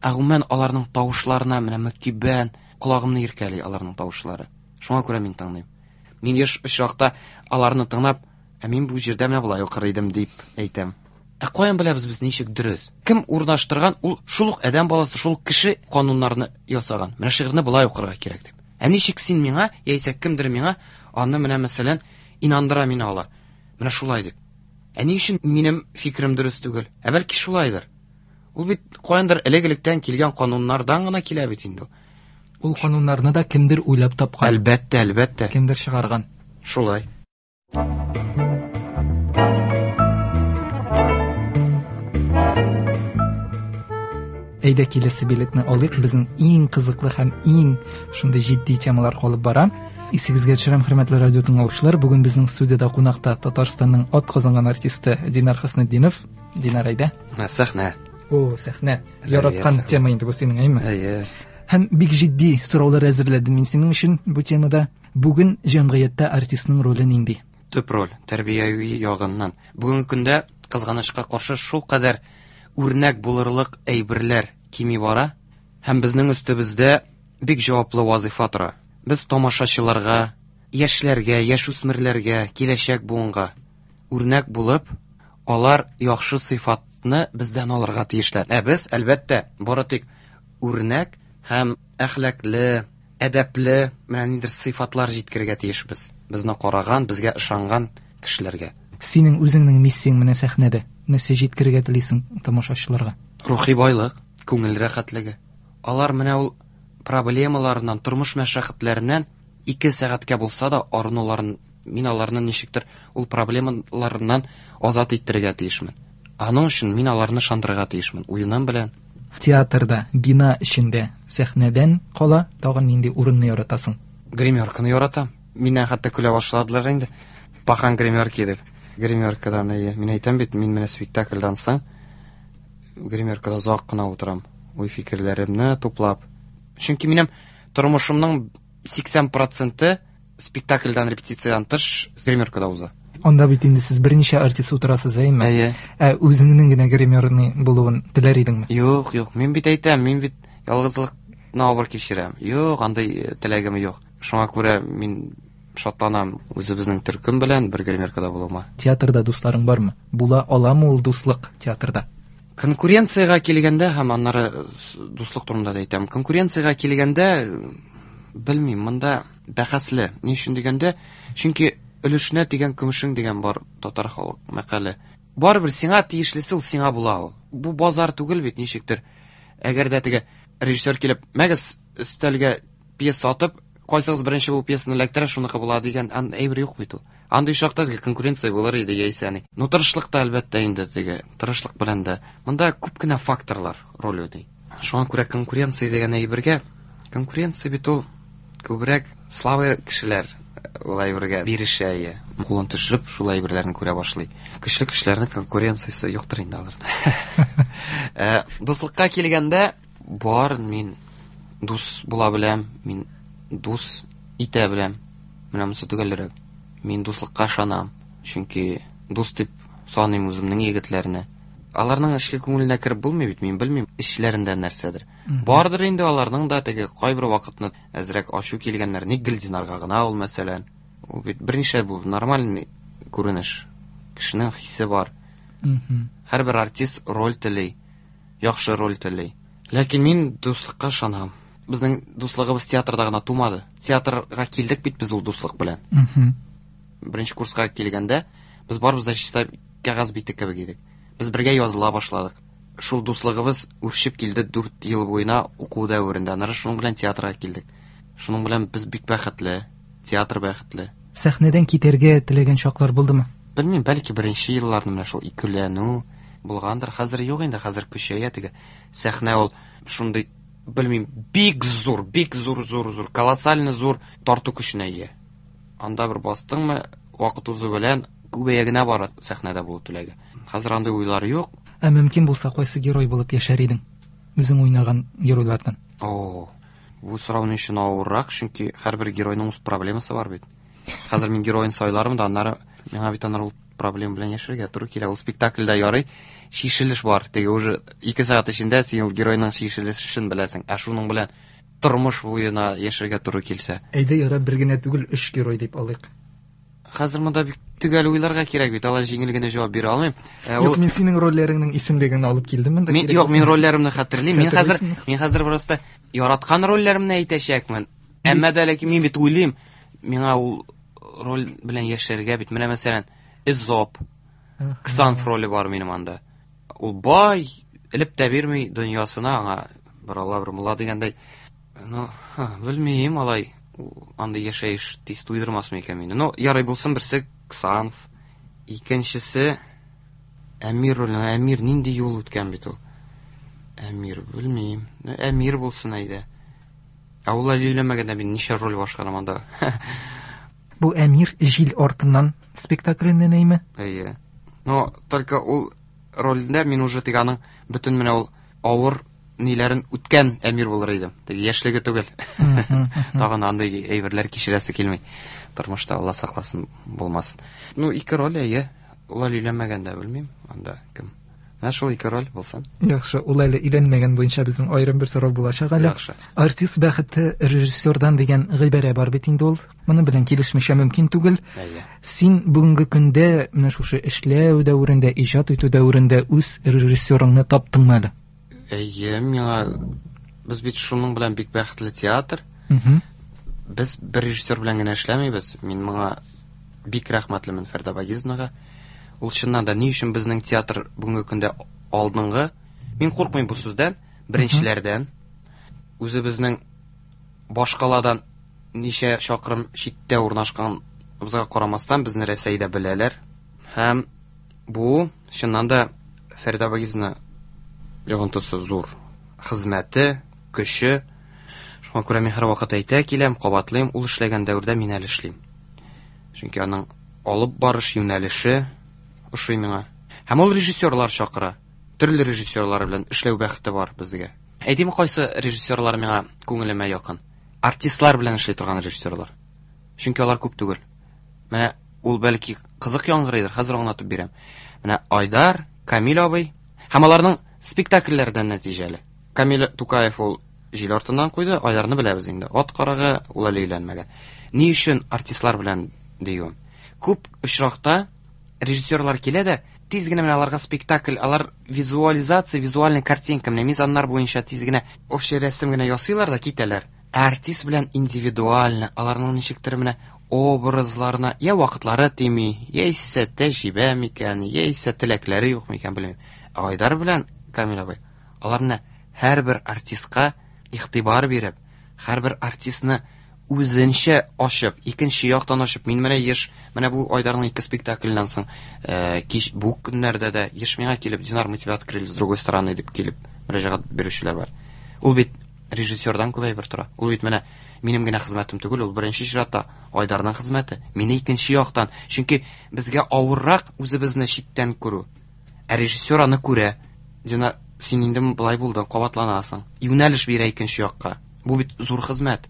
ә гомумән аларның тавышларына менә мөкиббән, колагымны иркәли аларның тавышлары. Шуңа күрә мин тыңлыйм. Мин еш очракта аларны тыңлап, ә мин бу җирдә менә болай укыр идем дип әйтәм. Ә каян беләбез без ничек дөрес? Кем урнаштырган, ул шул ук адәм баласы, шул кеше кануннарны ясаган. Менә шигырьне болай укырга кирәк дип. Ә ничек син миңа, яисә кемдер миңа аны менә мәсәлән инандыра мине ала. Менә шулай дип. Ә ни өчен минем фикерем дөрес түгел? Ә бәлки шулайдыр. Ул бит каяндыр элек-электән килгән кануннардан гына килә бит инде ул. Ул кануннарны да кемдер уйлап тапкан. Әлбәттә, әлбәттә. Кемдер чыгарган. Шулай. Әйдә киләсе билетны алыйк. Безнең иң кызыклы һәм иң шундый җитди темалар калып бара. Исегезгә төшерәм, хөрмәтле радио тыңлаучылар, бүген безнең студиядә кунакта Татарстанның ат казанган артисты Динар Хөснетдинов. Динар, әйдә. Менә сәхнә. О, сәхнә. Әйе, Яраткан сәхнә. тема инде бу синең, әйме? Әйе. Һәм бик җитди сораулар әзерләдем мин синең өчен бу темада. Бүген җәмгыятьтә артистның роле нинди? Төп роль тәрбияви ягыннан. Бүгенге көндә кызганычка каршы шул кадәр үрнәк булырлык әйберләр кими бара һәм безнең өстебездә бик җаваплы вазифа тора. Без тамашачыларга, яшьләргә, яшүсмерләргә, киләчәк буынга үрнәк булып, алар яхшы сыйфатны бездән алырга тиешләр. Ә без, әлбәттә, бары тик үрнәк һәм әхлаклы, әдәпле менә ниндидер сыйфатлар җиткерергә тиешбез. Безне караган, безгә ышанган кешеләргә. Синең үзеңнең миссияң менә сәхнәдә. Нәрсә җиткерергә телисең тамашачыларга? Рухи байлык, күңел рәхәтлеге. Алар менә ул проблемаларыннан, тормыш мәшәкатьләреннән 2 сәгатькә булса да арынуларын, мин аларны ничектер ул проблемаларыннан азат иттерергә тиешмен. Аның өчен мин аларны ышандырырга тиешмен, уеным белән. Театрда, бина эчендә, сәхнәдән кала тагын нинди урынны яратасың? Гримерканы яратам. Миннән хәтта көлә башладылар инде. Пахан гримерки дип. Гримеркадан, әйе. Мин әйтәм бит, мин менә спектакльдан соң гримеркада озак кына утырам. Уй фикерләремне туплап. Чөнки минем тормышымның 80% спектакльдан, репетициядән тыш гримеркада уза. Анда бит инде сез берничә артист утырасыз, әйеме? Әйе. Ә үзеңнең генә гримерный булуын теләр идеңме? Юк, юк, мин бит әйтәм, мин бит ялгызлыкны авыр кичерәм. Юк, андый э, теләгем юк. Шуңа күрә мин шатланам үзебезнең төркем белән бер гримеркада булуыма. Театрда дусларың бармы? Була аламы ул дуслык театрда? Конкуренциягә килгәндә һәм аннары дуслык турында да әйтәм. Конкуренциягә килгәндә, белмим, монда бәхәсле. Ни өчен дигәндә, чөнки өлешенә тигән көмешең дигән бар татар халык мәкале. Барыбер сиңа тиешлесе ул сиңа була ул. Бу базар түгел бит ничектер. Әгәр дә теге режиссер килеп, мәгез өстәлгә пьеса атып, кайсыгыз беренче бу пьесаны эләктерә, шуныкы була дигән әйбер юк бит ул. Андый чакта теге конкуренция булыр иде яисә ни. Ну тырышлык та әлбәттә инде теге тырышлык белән дә. Монда күп кенә факторлар роль уйный. Шуңа күрә конкуренция дигән әйбергә конкуренция бит ул күбрәк слабый кешеләр ул әйбергә бирешә, иә. Кулын төшереп шул әйберләрне күрә башлый. Көчле кешеләрнең конкуренциясе юктыр инде аларда. Э, дуслыкка килгәндә, бар мин дус була беләм, мин дус итә беләм. Менә монысы төгәлрәк. Мин дуслыкка ышанам, чөнки дус дип саныйм үземнең егетләрне. Аларның эчке күңеленә кереп булмый бит, мин белмим эчләрендә нәрсәдер. Бардыр инде аларның да теге кайбер вакытны әзрәк ачу килгәннәр. Ник гел Динарга гына ул мәсәлән? Ул бит берничә бу нормальный күренеш. Кешенең хисе бар. Һәрбер артист роль тели, яхшы роль тели. Ләкин мин дуслыкка ышанам. Безнең дуслыгыбыз театрда гына тумады. Театрга килдек бит без ул дуслык белән. Беренче курска килгәндә без барыбыз да чиста кәгазь бите кебек идек. Без бергә языла башладык. Шул дуслыгыбыз үрчеп килде 4 ел буена уку дәверендә. Аннары шуның белән театрга килдек. Шуның белән без бик бәхетле, театр бәхетле. Сәхнәдән китәргә теләгән чаклар булдымы? Белмим, бәлки беренче елларны менә шул икеләнү булгандыр. Хәзер юк инде, хәзер көчәя теге. Сәхнә ул шундый, белмим, бик зур, бик зур, зур, зур, колоссально зур тарту көченә ия. Анда бер бастыңмы, вакыт узу белән күбәя генә бара сәхнәдә булу теләге. Хәзер андый уйлар юк. Ә мөмкин булса, кайсы герой булып яшәр идең? Үзең уйнаган геройлардан. О, бу сорау ни өчен авыррак, чөнки һәрбер геройның үз проблемасы бар бит. Хәзер мин героен сайларым да, аннары миңа бит аннары ул проблема белән яшәргә туры килә. Ул спектакльдә ярый, чишелеш бар. Теге уже 2 сәгать эчендә син ул геройның чишелешен беләсең. Ә шуның белән тормыш буена яшәргә туры килсә. Әйдә, ярар, бер генә түгел, өч герой дип алыйк. Хәзер монда бик төгәл уйларга кирәк бит, алай җиңел генә җавап бирә алмыйм. Э, юк, мин синең рольләреңнең исемлеген алып килдем монда. Мин, юк, мин рольләремне хәтерлим. Мин хәзер, мин хәзер просто яраткан рольләремне әйтәчәкмен. Әмма дә ләкин мин бит уйлыйм, миңа ул роль белән яшәргә бит. Менә мәсәлән, Эзоп, Ксанф роле бар минем анда. Ул бай, элеп тә бирми дөньясына аңа бер Алла, бер мулла дигәндәй. Ну, белмим, алай андый яшәеш тиз туйдырмасмы икән мине. Ну, ярый булсын, берсе Ксанф, икенчесе Әмир роле. Әмир нинди юл үткән бит ул. Әмир, белмим. Әмир булсын әйдә. Ә ул әле өйләнмәгәндә мин ничә роль башкарам анда. Бу Әмир җил артыннан спектакленнән әйме? Әйе. Но только ул рольдә мин уже теге аның бөтен менә ул авыр ниләрен үткән Әмир булыр идем. Теге яшьлеге түгел. Тагын андый әйберләр кичерәсе килми. Тормышта Алла сакласын, булмасын. Ну, ике роль әйе. Ул әле өйләнмәгән дә белмим, анда кем. Менә шул ике роль булсын. Яхшы, ул әле өйләнмәгән буенча безнең аерым бер сорау булачак әле. Яхшы. Артист бәхете режиссердан дигән гыйбарә бар бит инде ул. Моның белән килешмичә мөмкин түгел. Әйе. Син бүгенге көндә менә шушы эшләү дәверендә, иҗат итү дәверендә үз режиссерыңны таптыңмы әле? Әйе, миңа без бит шуның белән бик бәхетле театр. Без бер режиссер белән генә эшләмибез. Мин моңа бик рәхмәтлемен Фәрдә Багизовнага. Ул чыннан да ни өчен безнең театр бүгенге көндә алдынгы? Мин куркмыйм бу сүздән, беренчеләрдән. Үзебезнең башкаладан ничә чакрым читтә урнашканыбызга карамастан, безне Рәсәйдә беләләр. Һәм бу чыннан да Фәрдә Багизовна йогынтысы зур. Хезмәте, көче. Шуңа күрә мин һәрвакыт әйтә киләм, кабатлыйм, ул эшләгән дәвердә мин әле эшлим. Чөнки аның алып барыш юнәлеше ошый миңа. Һәм ул режиссерлар чакыра. Төрле режиссерлар белән эшләү бәхете бар безгә. Әйтим, кайсы режиссерлар миңа күңелемә якын? Артистлар белән эшли торган режиссерлар. Чөнки алар күп түгел. Менә ул бәлки Кызык яңгырыйдыр, хәзер аңлатып бирәм. Менә Айдар, Камил абый һәм аларның спектакльләрдән нәтиҗәле. Камил Тукаев ул җил артыннан куйды, Айдарны беләбез инде. Ат карагы, ул әле өйләнмәгән. Ни өчен артистлар белән диюем? Күп очракта режиссерлар килә дә, тиз генә менә аларга спектакль, алар визуализация, визуальная картинка, менә мизаннар буенча тиз генә общий рәсем генә ясыйлар да китәләр. Ә артист белән индивидуально, аларның ничектер менә образларына я вакытлары тими, яисә тәҗрибә микән, яисә теләкләре юк микән, белмим. Ә Айдар белән Камил абый, алар менә һәрбер артистка игътибар биреп, һәрбер артистны үзенчә ачып, икенче яктан ачып, мин менә еш, менә бу Айдарның ике спектакльннән соң, кич бу көннәрдә дә еш миңа килеп, Динар, мы тебя открыли с другой стороны дип килеп мөрәҗәгать бирүчеләр бар. Ул бит режиссердан күп әйбер тора. Ул бит менә минем генә хезмәтем түгел, ул беренче чиратта Айдарның хезмәте. Мине икенче яктан, чөнки безгә авыррак үзебезне читтән күрү. Ә режиссер аны күрә. Динар, син инде болай булдың, кабатланасың. Юнәлеш бирә икенче якка. Бу бит зур хезмәт.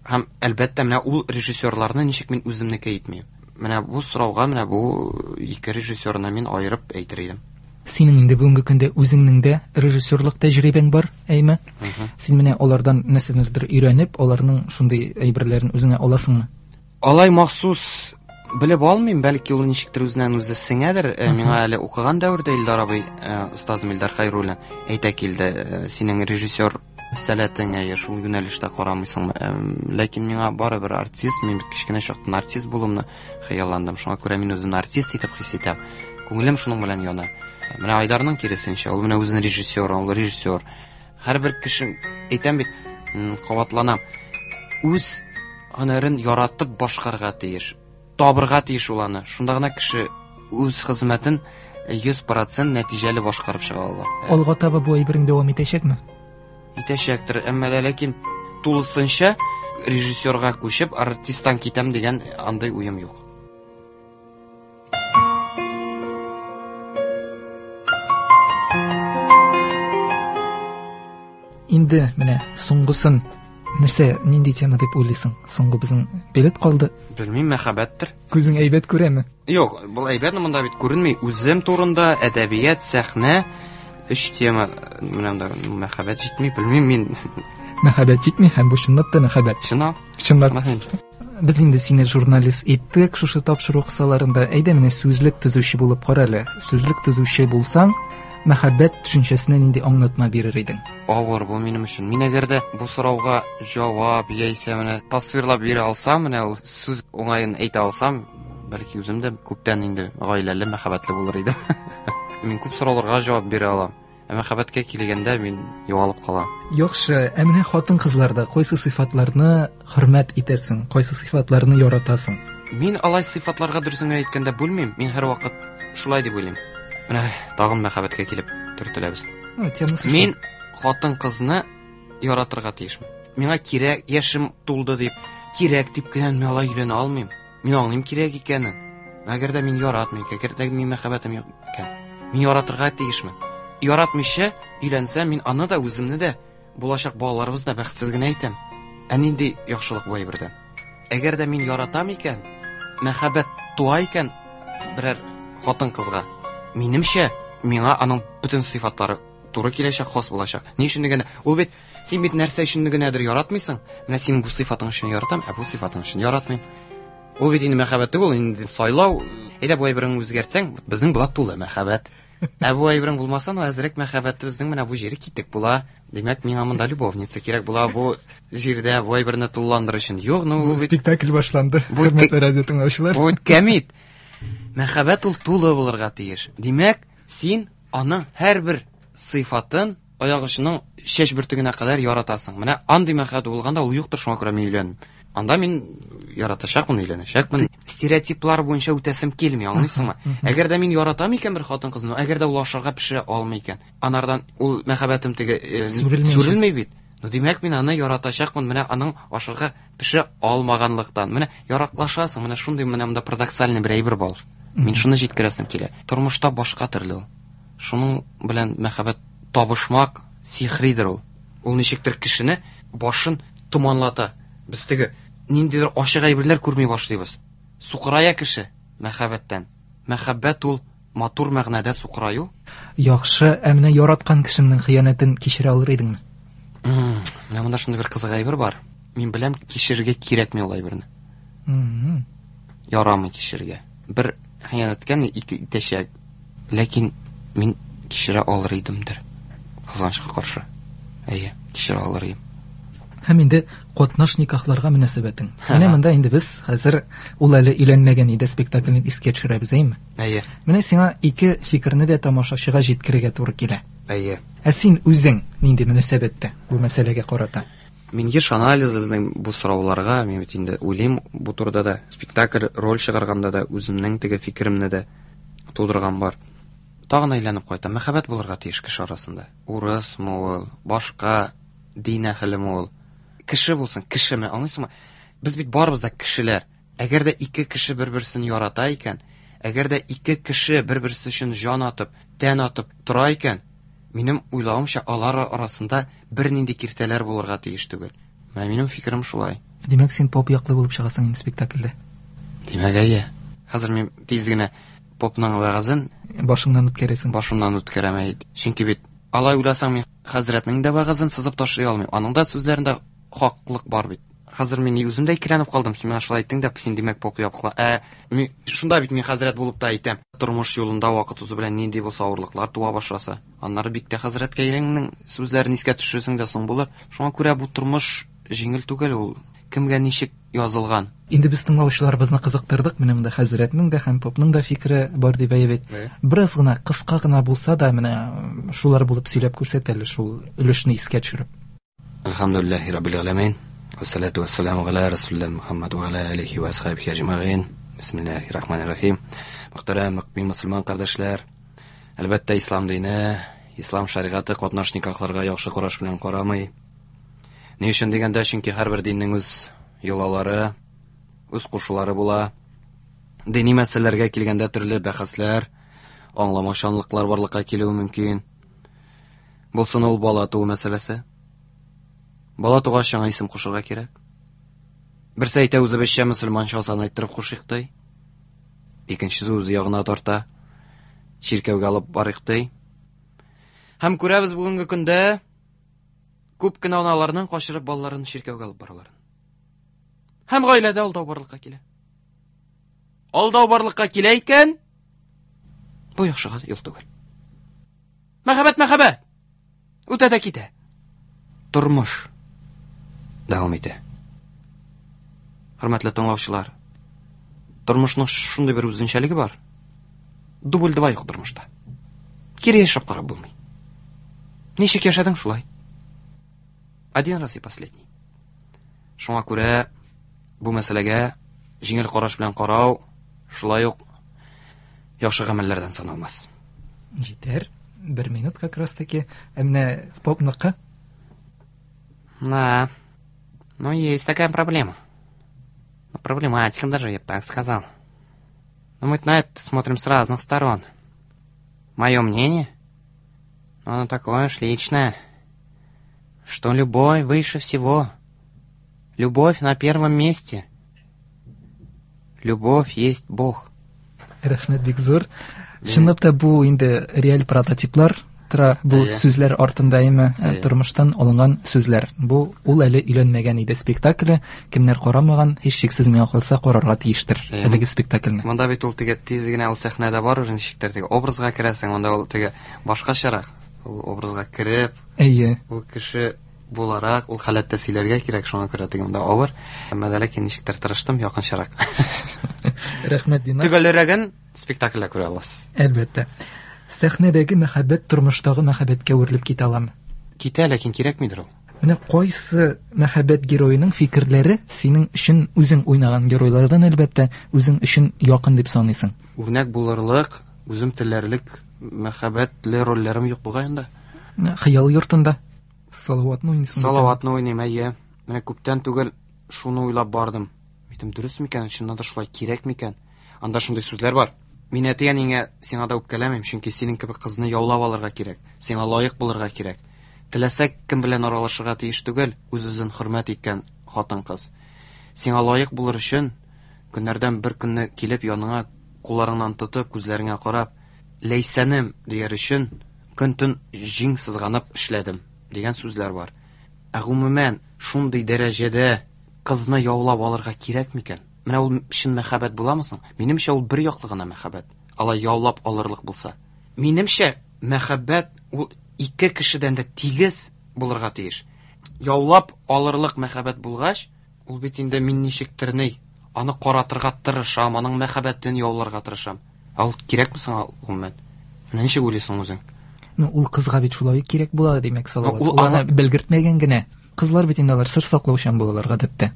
Һәм әлбәттә менә ул режиссерларны ничек мин үземнеке итмим. Менә бу сорауга менә бу ике режиссерны мин аерып әйтер идем. Синең инде бүгенге көндә үзеңнең дә режиссерлык тәҗрибәң бар, әйме? Син менә алардан нәрсәнедер өйрәнеп, аларның шундый әйберләрен үзеңә аласыңмы? Алай махсус белеп алмыйм, бәлки ул ничектер үзеннән үзе сеңәдер. Миңа әле укыган дәвердә Илдар абый, остазым Илдар Хәйруллин әйтә килде, синең режиссер сәләтең, әйе, шул юнәлештә карамыйсыңмы? Ләкин миңа барыбер артист, мин бит кечкенә чактан артист булуымны хыялландым. Шуңа күрә мин үземне артист итеп хис итәм. Күңелем шуның белән яна. Менә Айдарның киресенчә, ул менә үзен режиссер, ул режиссер. Һәрбер кеше, әйтәм бит, кабатланам, үз һөнәрен яратып башкарырга тиеш, табырга тиеш ул аны. Шунда гына кеше үз хезмәтен 100% нәтиҗәле башкарып чыга ала. Алга таба бу әйберең дәвам итәчәкме? Итәчәктер, әмма дә ләкин тулысынча режиссерга күчеп, артисттан китәм дигән андый уем юк. Инде менә соңгысын нәрсә, нинди тема дип уйлыйсың? Соңгы безнең билет калды. Белмим, мәхәббәттер. Күзең әйбәт күрәме? Юк, был әйбәт, монда бит күренми. Үзем турында әдәбият, сәхнә, өч тема. Менә монда мәхәббәт җитми, белмим мин. Мәхәббәт җитми һәм бу чынлап та мәхәббәт. Чынлап. Чынлап. Без инде сине журналист иттек шушы тапшыру кысаларында. Әйдә менә сүзлек төзүче булып кара әле. Сүзлек төзүче булсаң, мәхәббәт төшенчәсенә нинди аңлатма бирер идең? Авыр бу минем өчен. Мин әгәр дә бу сорауга җавап яисә менә тасвирлап бирә алсам, менә ул сүз уңаен әйтә алсам, бәлки үзем дә күптән инде гаиләле, мәхәббәтле булыр идем. Мин күп сорауларга җавап бирә алам. Ә мәхәббәткә килгәндә мин югалып калам. Яхшы, ә менә хатын-кызларда кайсы сыйфатларны хөрмәт итәсең, кайсы сыйфатларны яратасың? Мин алай сыйфатларга дөресен генә әйткәндә бүлмим, мин һәрвакыт шулай дип уйлыйм. Менә тагын мәхәббәткә килеп төртеләбез. Темасы шул. Мин хатын-кызны яратырга тиешмен. Миңа кирәк, яшем тулды дип, кирәк дип кенә мин алай өйләнә алмыйм. Мин аңлыйм кирәк икәнен. Әгәр дә мин яратмыйм, әгәр дә мин мәхәббәтем юк икән, мин яратырга тиешмен. Яратмыйча өйләнсәм, мин аны да, үземне дә, булачак балаларыбызны да бәхетсез генә итәм. Ә нинди яхшылык бу әйбердән? Әгәр дә мин яратам икән, мәхәббәт туа икән берәр хатын-кызга, минемчә, миңа аның бөтен сыйфатлары туры киләчәк, хас булачак. Ни өчен дигәндә, ул бит, син бит нәрсә өчен генәдер яратмыйсың. Менә син бу сыйфатың өчен яратам, ә бу сыйфатың өчен яратмыйм. Ул бит инде мәхәббәт түгел, инде сайлау. Әйдә бу әйбереңне үзгәртсәң, безнең була тулы мәхәббәт. Ә бу әйберең булмаса, ну әзрәк мәхәббәтебезнең менә бу җире китек була. Димәк, миңа монда любовница кирәк була бу җирдә бу әйберне тулыландырыр өчен. Юк, ну бу бит спектакль башланды. Хөрмәтле радио тыңлаучылар. Бу бит кәмит. Мәхәббәт ул тулы булырга тиеш. Димәк, син аның һәрбер сыйфатын аяк очының чәч бөртегенә кадәр яратасың. Менә андый мәхәббәт булганда ул юктыр, шуңа күрә мин өйләндем. Анда мин яратачакмын, өйләнәчәкмен. Стереотиплар буенча үтәсем килми, аңлыйсыңмы? Әгәр дә мин яратам икән бер хатын-кызны, әгәр дә ул ашарга пешерә алмый икән, анардан ул мәхәббәтем теге сүрелми бит. Ну, димәк, мин аны яратачакмын, менә аның ашарга пешерә алмаганлыктан. Менә яраклашасың, менә шундый менә монда парадоксальный бер әйбер бар. Мин шуны җиткерәсем килә. Тормышта башка төрле ул. Шуның белән мәхәббәт табышмак сихридер ул. Ул ничектер кешене башын томанлата. Без теге ниндидер ачык әйберләр күрми башлыйбыз. Сукырая кеше мәхәббәттән. Мәхәббәт ул матур мәгънәдә сукыраю. Яхшы, ә менә яраткан кешеңнең хыянәтен кичерә алыр идеңме? Менә монда шундый бер кызык әйбер бар. Мин беләм, кичерергә кирәкми ул әйберне. Ярамый кичерергә. Бер хыянәткә ни ике итәчәк. Ләкин мин кичерә алыр идемдер. Кызганычка каршы. Әйе, кичерә алыр идем. Һәм инде катнаш никахларга мөнәсәбәтең. Менә монда инде без хәзер ул әле өйләнмәгән иде спектаклен искә төшерәбез, әйеме? Әйе. Менә сиңа ике фикерне дә тамашачыга җиткерергә туры килә. Әйе. Ә син үзең нинди мөнәсәбәттә бу мәсьәләгә карата? Мин еш анализлыйм бу сорауларга, мин бит инде уйлыйм бу турыда да. Спектакль, роль чыгарганда да үземнең теге фикеремне дә тудырган бар. Тагын әйләнеп кайтам. Мәхәббәт булырга тиеш кеше арасында. Урысмы ул, башка дин әһелеме ул. Кеше булсын, кешеме, аңлыйсыңмы? Без бит барыбыз да кешеләр. Әгәр дә ике кеше бер-берсен ярата икән, әгәр дә ике кеше бер-берсе өчен җан атып, тән атып тора икән, минем уйлавымча, алар арасында бернинди киртәләр булырга тиеш түгел. Менә минем фикерем шулай. Димәк, син поп яклы булып чыгасың инде спектакльдә. Димәк, әйе. Хәзер мин тиз генә попның вәгазен башыңнан үткәрәсең. Башымнан үткәрәм, әйе. Чөнки бит алай уйласаң, мин хәзрәтнең дә вәгазен сызып ташлый алмыйм. Аның да сүзләрендә хаклык бар бит. Хәзер мин үзем дә икеләнеп калдым. Син миңа шулай әйттең дә, син димәк поп яклы. Ә мин шунда бит мин хәзрәт булып та әйтәм. Тормыш юлында вакыт узу белән нинди булса авырлыклар туа башласа, аннары бик тә хәзрәткә иреңнең сүзләрен искә төшерсең дә соң булыр. Шуңа күрә бу тормыш җиңел түгел ул. Кемгә ничек язылган. Инде без тыңлаучыларыбызны кызыктырдык. Менә монда хәзрәтнең дә һәм попның да фикере бар дип әйтеп бит. Бераз гына, кыска гына булса да, менә шулар булып сөйләп күрсәт әле шул өлешне искә төшереп. Әлхәмдүлилләһи раббил галәмин. Вассалату вассаламу галя расулилла Мухаммад ва аля алихи ва асхабихи әҗмәгыйн. Бисмиллаһир рахманир рахим. Мөхтәрәм мөмин мөселман кардәшләр, әлбәттә, ислам дине, ислам шәригате катнаш никахларга яхшы караш белән карамый. Ни өчен дигәндә, чөнки һәрбер диннең үз йолалары, үз кушулары була. Дини мәсьәләләргә килгәндә төрле бәхәсләр, аңламаучанлыклар барлыкка килүе мөмкин. Булсын ул бала туу мәсьәләсе. Бала тугач яңа исем кушырга кирәк. Берсе әйтә, үзебезчә мөселманча азан әйттереп кушыйк ди. Икенчесе үзе ягына тарта. Чиркәүгә алып барыйк ди. Һәм күрәбез бүгенге көндә күп кенә аналарның качырып балаларын чиркәүгә алып бараларын. Һәм гаиләдә алдау барлыкка килә. Алдау барлыкка килә икән, бу яхшыга юл түгел. Мәхәббәт, мәхәббәт! Үтә дә китә. Тормыш дәвам итә. Хөрмәтле тыңлаучылар, тормышның шундый бер үзенчәлеге бар. Дубль два юк тормышта. Кире яшәп карап булмый. Ничек яшәдең шулай? Один раз и последний. Шуңа күрә бу мәсьәләгә җиңел караш белән карау шулай ук яхшы гамәлләрдән саналмас. Җитәр. Бер минут как раз таки. Ә менә попныкы? Да. Ну, есть такая проблема. Ну, проблематика даже, я бы так сказал. Но мы на это смотрим с разных сторон. Мое мнение, ну, оно такое уж личное, что любовь выше всего. Любовь на первом месте. Любовь есть Бог. Рәхмәт бик зур. Чынлап та бу инде реаль прототиплар тора бу сүзләр артында, әйме, тормыштан алынган сүзләр. Бу ул әле өйләнмәгән иде спектакле. Кемнәр карамаган, һичшиксез миңа калса карарга тиештер әлеге спектакльне. Монда бит ул теге тиз генә ул сәхнәдә бар, ничектер теге образга керәсең, монда ул теге башкачарак. Ул образга кереп, ул кеше буларак, ул халәттә сөйләргә кирәк, шуңа күрә теге монда авыр. Әмма дә ләкин ничектер тырыштым якынчарак. Рәхмәт, Динар. Төгәлрәген спектакльдә күрә аласыз. Әлбәттә. Сәхнәдәге мәхәббәт тормыштагы мәхәббәткә үрелеп китә аламы? Китә, ләкин кирәкмидер ул. Менә кайсы мәхәббәт героеның фикерләре синең өчен үзең уйнаган геройлардан әлбәттә үзең өчен якын дип саныйсың? Үрнәк булырлык, үзем теләрлек мәхәббәтле рольләрем юк бугай инде. Хыял йортында Салаватны уйныйсың. Салаватны уйныйм, әйе. Менә күптән түгел шуны уйлап бардым. Әйтем, дөрес микән, чыннан да шулай кирәк микән? Анда шундый сүзләр бар. Мин әти-әниңә сиңа да үпкәләмим, чөнки синең кебек кызны яулап алырга кирәк, сиңа лаек булырга кирәк. Теләсә кем белән аралашырга тиеш түгел, үз-үзен хөрмәт иткән хатын-кыз. Сиңа лаек булыр өчен көннәрдән бер көнне килеп яныңа Кулларыңнан тотып, күзләреңә карап, Ләйсәнем дияр өчен көн-төн җиң сызганып эшләдем дигән сүзләр бар. Ә гомумән, шундый дәрәҗәдә кызны яулап алырга кирәк микән? Менә ул чын мәхәббәт буламы соң? Минемчә, ул бер яклы гына мәхәббәт. Алай яулап алырлык булса. Минемчә, мәхәббәт ул ике кешедән дә тигез булырга тиеш. Яулап алырлык мәхәббәт булгач, ул бит инде мин ничектер ни, аны каратырга тырышам, аның мәхәббәтен яуларга тырышам. Ә ул кирәкме соң гомумән? Менә ничек уйлыйсың үзең? Ну, ул кызга бит шулай ук кирәк була, димәк, Салават. Ул аны белгертмәгән генә. Кызлар бит инде алар сер саклаучан булалар гадәттә.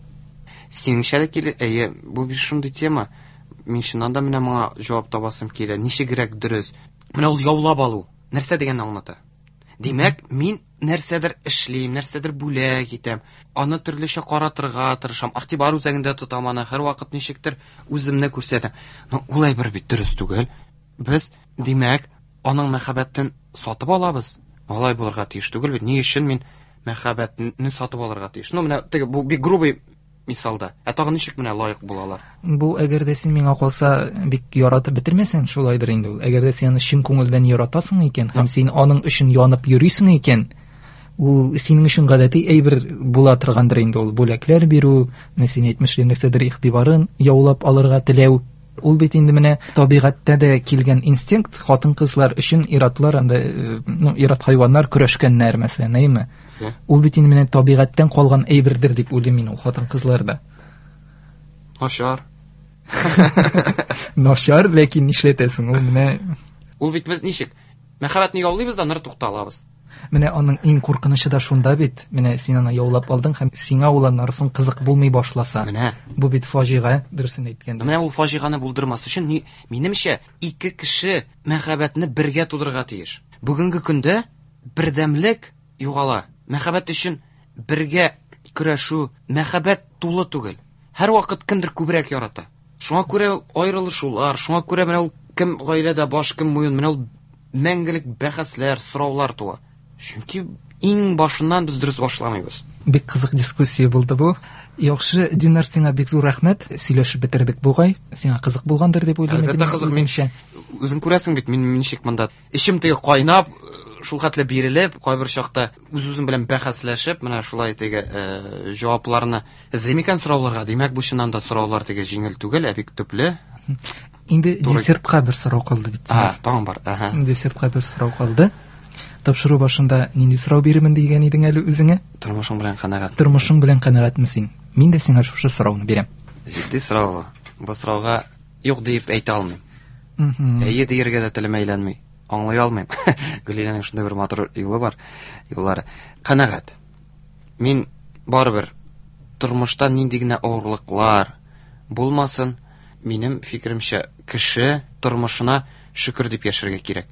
Синеңчә дә килә, әйе, бу бит шундый тема. Мин чыннан да менә моңа җавап табасым килә. Ничегрәк дөрес? Менә ул яулап алу нәрсә дигәнне аңлата? Димәк, мин нәрсәдер эшлим, нәрсәдер бүләк итәм, аны төрлечә каратырга тырышам, игътибар үзәгендә тотам аны, һәрвакыт ничектер үземне күрсәтәм. Но ул әйбер бит дөрес түгел. Без, димәк, аның мәхәббәтен сатып алабыз. Алай булырга тиеш түгел бит. Ни өчен мин мәхәббәтне сатып алырга тиеш? Ну, менә теге бу бик грубый мисалда. Ә тагын ничек менә лаек булалар? Бу әгәр дә син миңа калса бик яратып бетермәсәң, шулайдыр инде ул. Әгәр дә син аны чын күңелдән яратасың икән һәм син аның өчен янып йөрисең икән, ул синең өчен гадәти әйбер була торгандыр инде ул. Бүләкләр бирү, менә син әйтмешли нәрсәдер игътибарын яулап алырга теләү. Ул бит инде менә табигатьтә дә килгән инстинкт, хатын-кызлар өчен ир-атлар анда, ну, ир-ат хайваннар көрәшкәннәр, мәсәлән, әйеме? Ул бит инде менә табигатьтән калган әйбердер дип уйлыйм мин ул хатын-кызларда. Начар. Начар, ләкин нишләтәсең, ул менә Ул бит без ничек? Мәхәббәтне яулыйбыз да ныр тукталабыз. Менә аның иң куркынычы да шунда бит. Менә син аны яулап алдың һәм сиңа ул аннары соң кызык булмый башласа. Менә. Бу бит фаҗига, дөресен әйткәндә. Менә ул фаҗиганы булдырмас өчен, минемчә, ике кеше мәхәббәтне бергә тудырырга тиеш. Бүгенге көндә бердәмлек югала. Мәхәббәт өчен бергә көрәшү, мәхәббәт тулы түгел. Һәрвакыт кемдер күбрәк ярата. Шуңа күрә аерылышулар, шуңа күрә менә ул кем гаиләдә баш, кем муен, менә ул мәңгелек бәхәсләр, сораулар туа. Чөнки иң башыннан без дөрес башламыйбыз. Бик кызык дискуссия булды бу. Яхшы, Динар, сиңа бик зур рәхмәт. Сөйләшеп бетердек бугай. Сиңа кызык булгандыр дип уйлыйм. Әлбәттә кызык. Мин үзең күрәсең бит, мин ничек монда эчем теге кайнап, шул хәтле бирелеп, кайбер чакта үз-үзем белән бәхәсләшеп, менә шулай теге җавапларны эзлим икән сорауларга. Димәк, бу чыннан да сораулар теге җиңел түгел, ә бик төпле. Инде десертка бер сорау калды бит. А, тагын бар. Аһа. Десертка бер сорау калды. Тапшыру башында нинди сорау бирермен дигән идең әле үзеңә? Тормышың белән канәгать. Тормышың белән канәгатьме син? Мин дә сиңа шушы сорауны бирәм. Җитди сорау. Бу сорауга юк диеп әйтә алмыйм. Әйе дияргә дә телем әйләнми. Аңлый алмыйм. Гөлинәнең шундый бер матур юлы бар. Юллары. Канәгать. Мин барыбер тормышта нинди генә авырлыклар булмасын, минем фикеремчә, кеше тормышына шөкер дип яшәргә кирәк.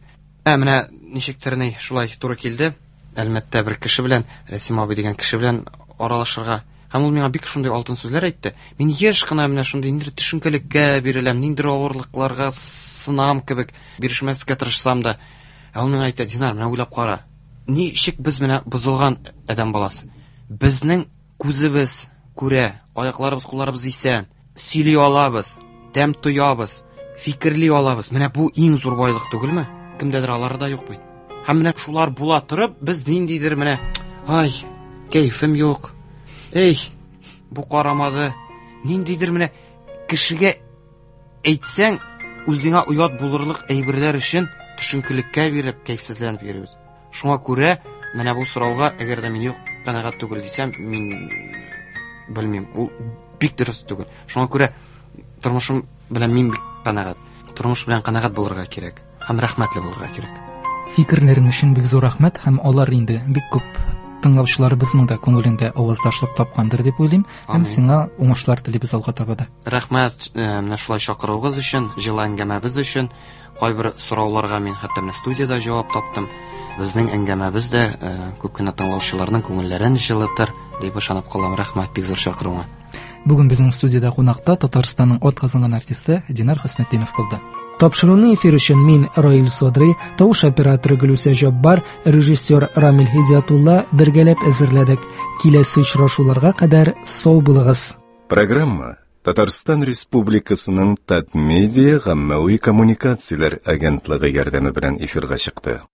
Ә менә ничектер ни шулай туры килде. Әлмәттә бер кеше белән, Рәсим абый дигән кеше белән аралашырга. Һәм ул миңа бик шундый алтын сүзләр әйтте. Мин еш кына менә шундый ниндидер төшенкелеккә биреләм, ниндидер авырлыкларга сынам кебек, бирешмәскә тырышсам да. Ә ул миңа әйтә, Динар, менә уйлап кара. Ничек без менә бозылган адәм баласы. Безнең күзебез күрә, аякларыбыз, кулларыбыз исән, сөйли алабыз, тәм тоябыз, фикерли алабыз. Менә бу иң зур байлык түгелме? Кемдәдер алары да юк бит. Һәм менә шулар була торып, без ниндидер менә, ай, кәефем юк. Эй, бу карамады. Ниндидер менә кешегә әйтсәң, үзеңә оят булырлык әйберләр өчен төшенкелеккә биреп, кәефсезләнеп йөрибез. Шуңа күрә менә бу сорауга, әгәр дә мин юк, канәгать түгел дисәм, мин белмим, ул бик дөрес түгел. Шуңа күрә тормышым белән мин бик канәгать. Тормыш белән канәгать булырга кирәк һәм рәхмәтле булырга кирәк. Фикерләрең өчен бик зур рәхмәт, һәм алар инде бик күп тыңлаучыларыбызның да күңелендә аваздашлык тапкандыр дип уйлыйм. Һәм сиңа уңышлар телибез алга таба да. Рәхмәт, менә шулай чакыруыгыз өчен, җылы әңгәмәбез өчен. Кайбер сорауларга мин хәтта менә студиядә җавап таптым. Безнең әңгәмәбез дә күп кенә тыңлаучыларның күңелләрен җылытыр дип ышанып калам. Рәхмәт бик зур чакыруыңа. Бүген безнең студиядә кунакта Татарстанның атказанган артисты Динар Хөснетдинов булды. Тапшыруны эфир өчен мин, Раил Садри, тавыш операторы Гөлүсә Җаббар, режиссер Рамил Һидиятулла бергәләп әзерләдек. Киләсе очрашуларга кадәр сау булыгыз. Программа Татарстан Республикасының Татмедиа гаммәви коммуникацияләр агентлыгы ярдәме белән эфирга чыкты.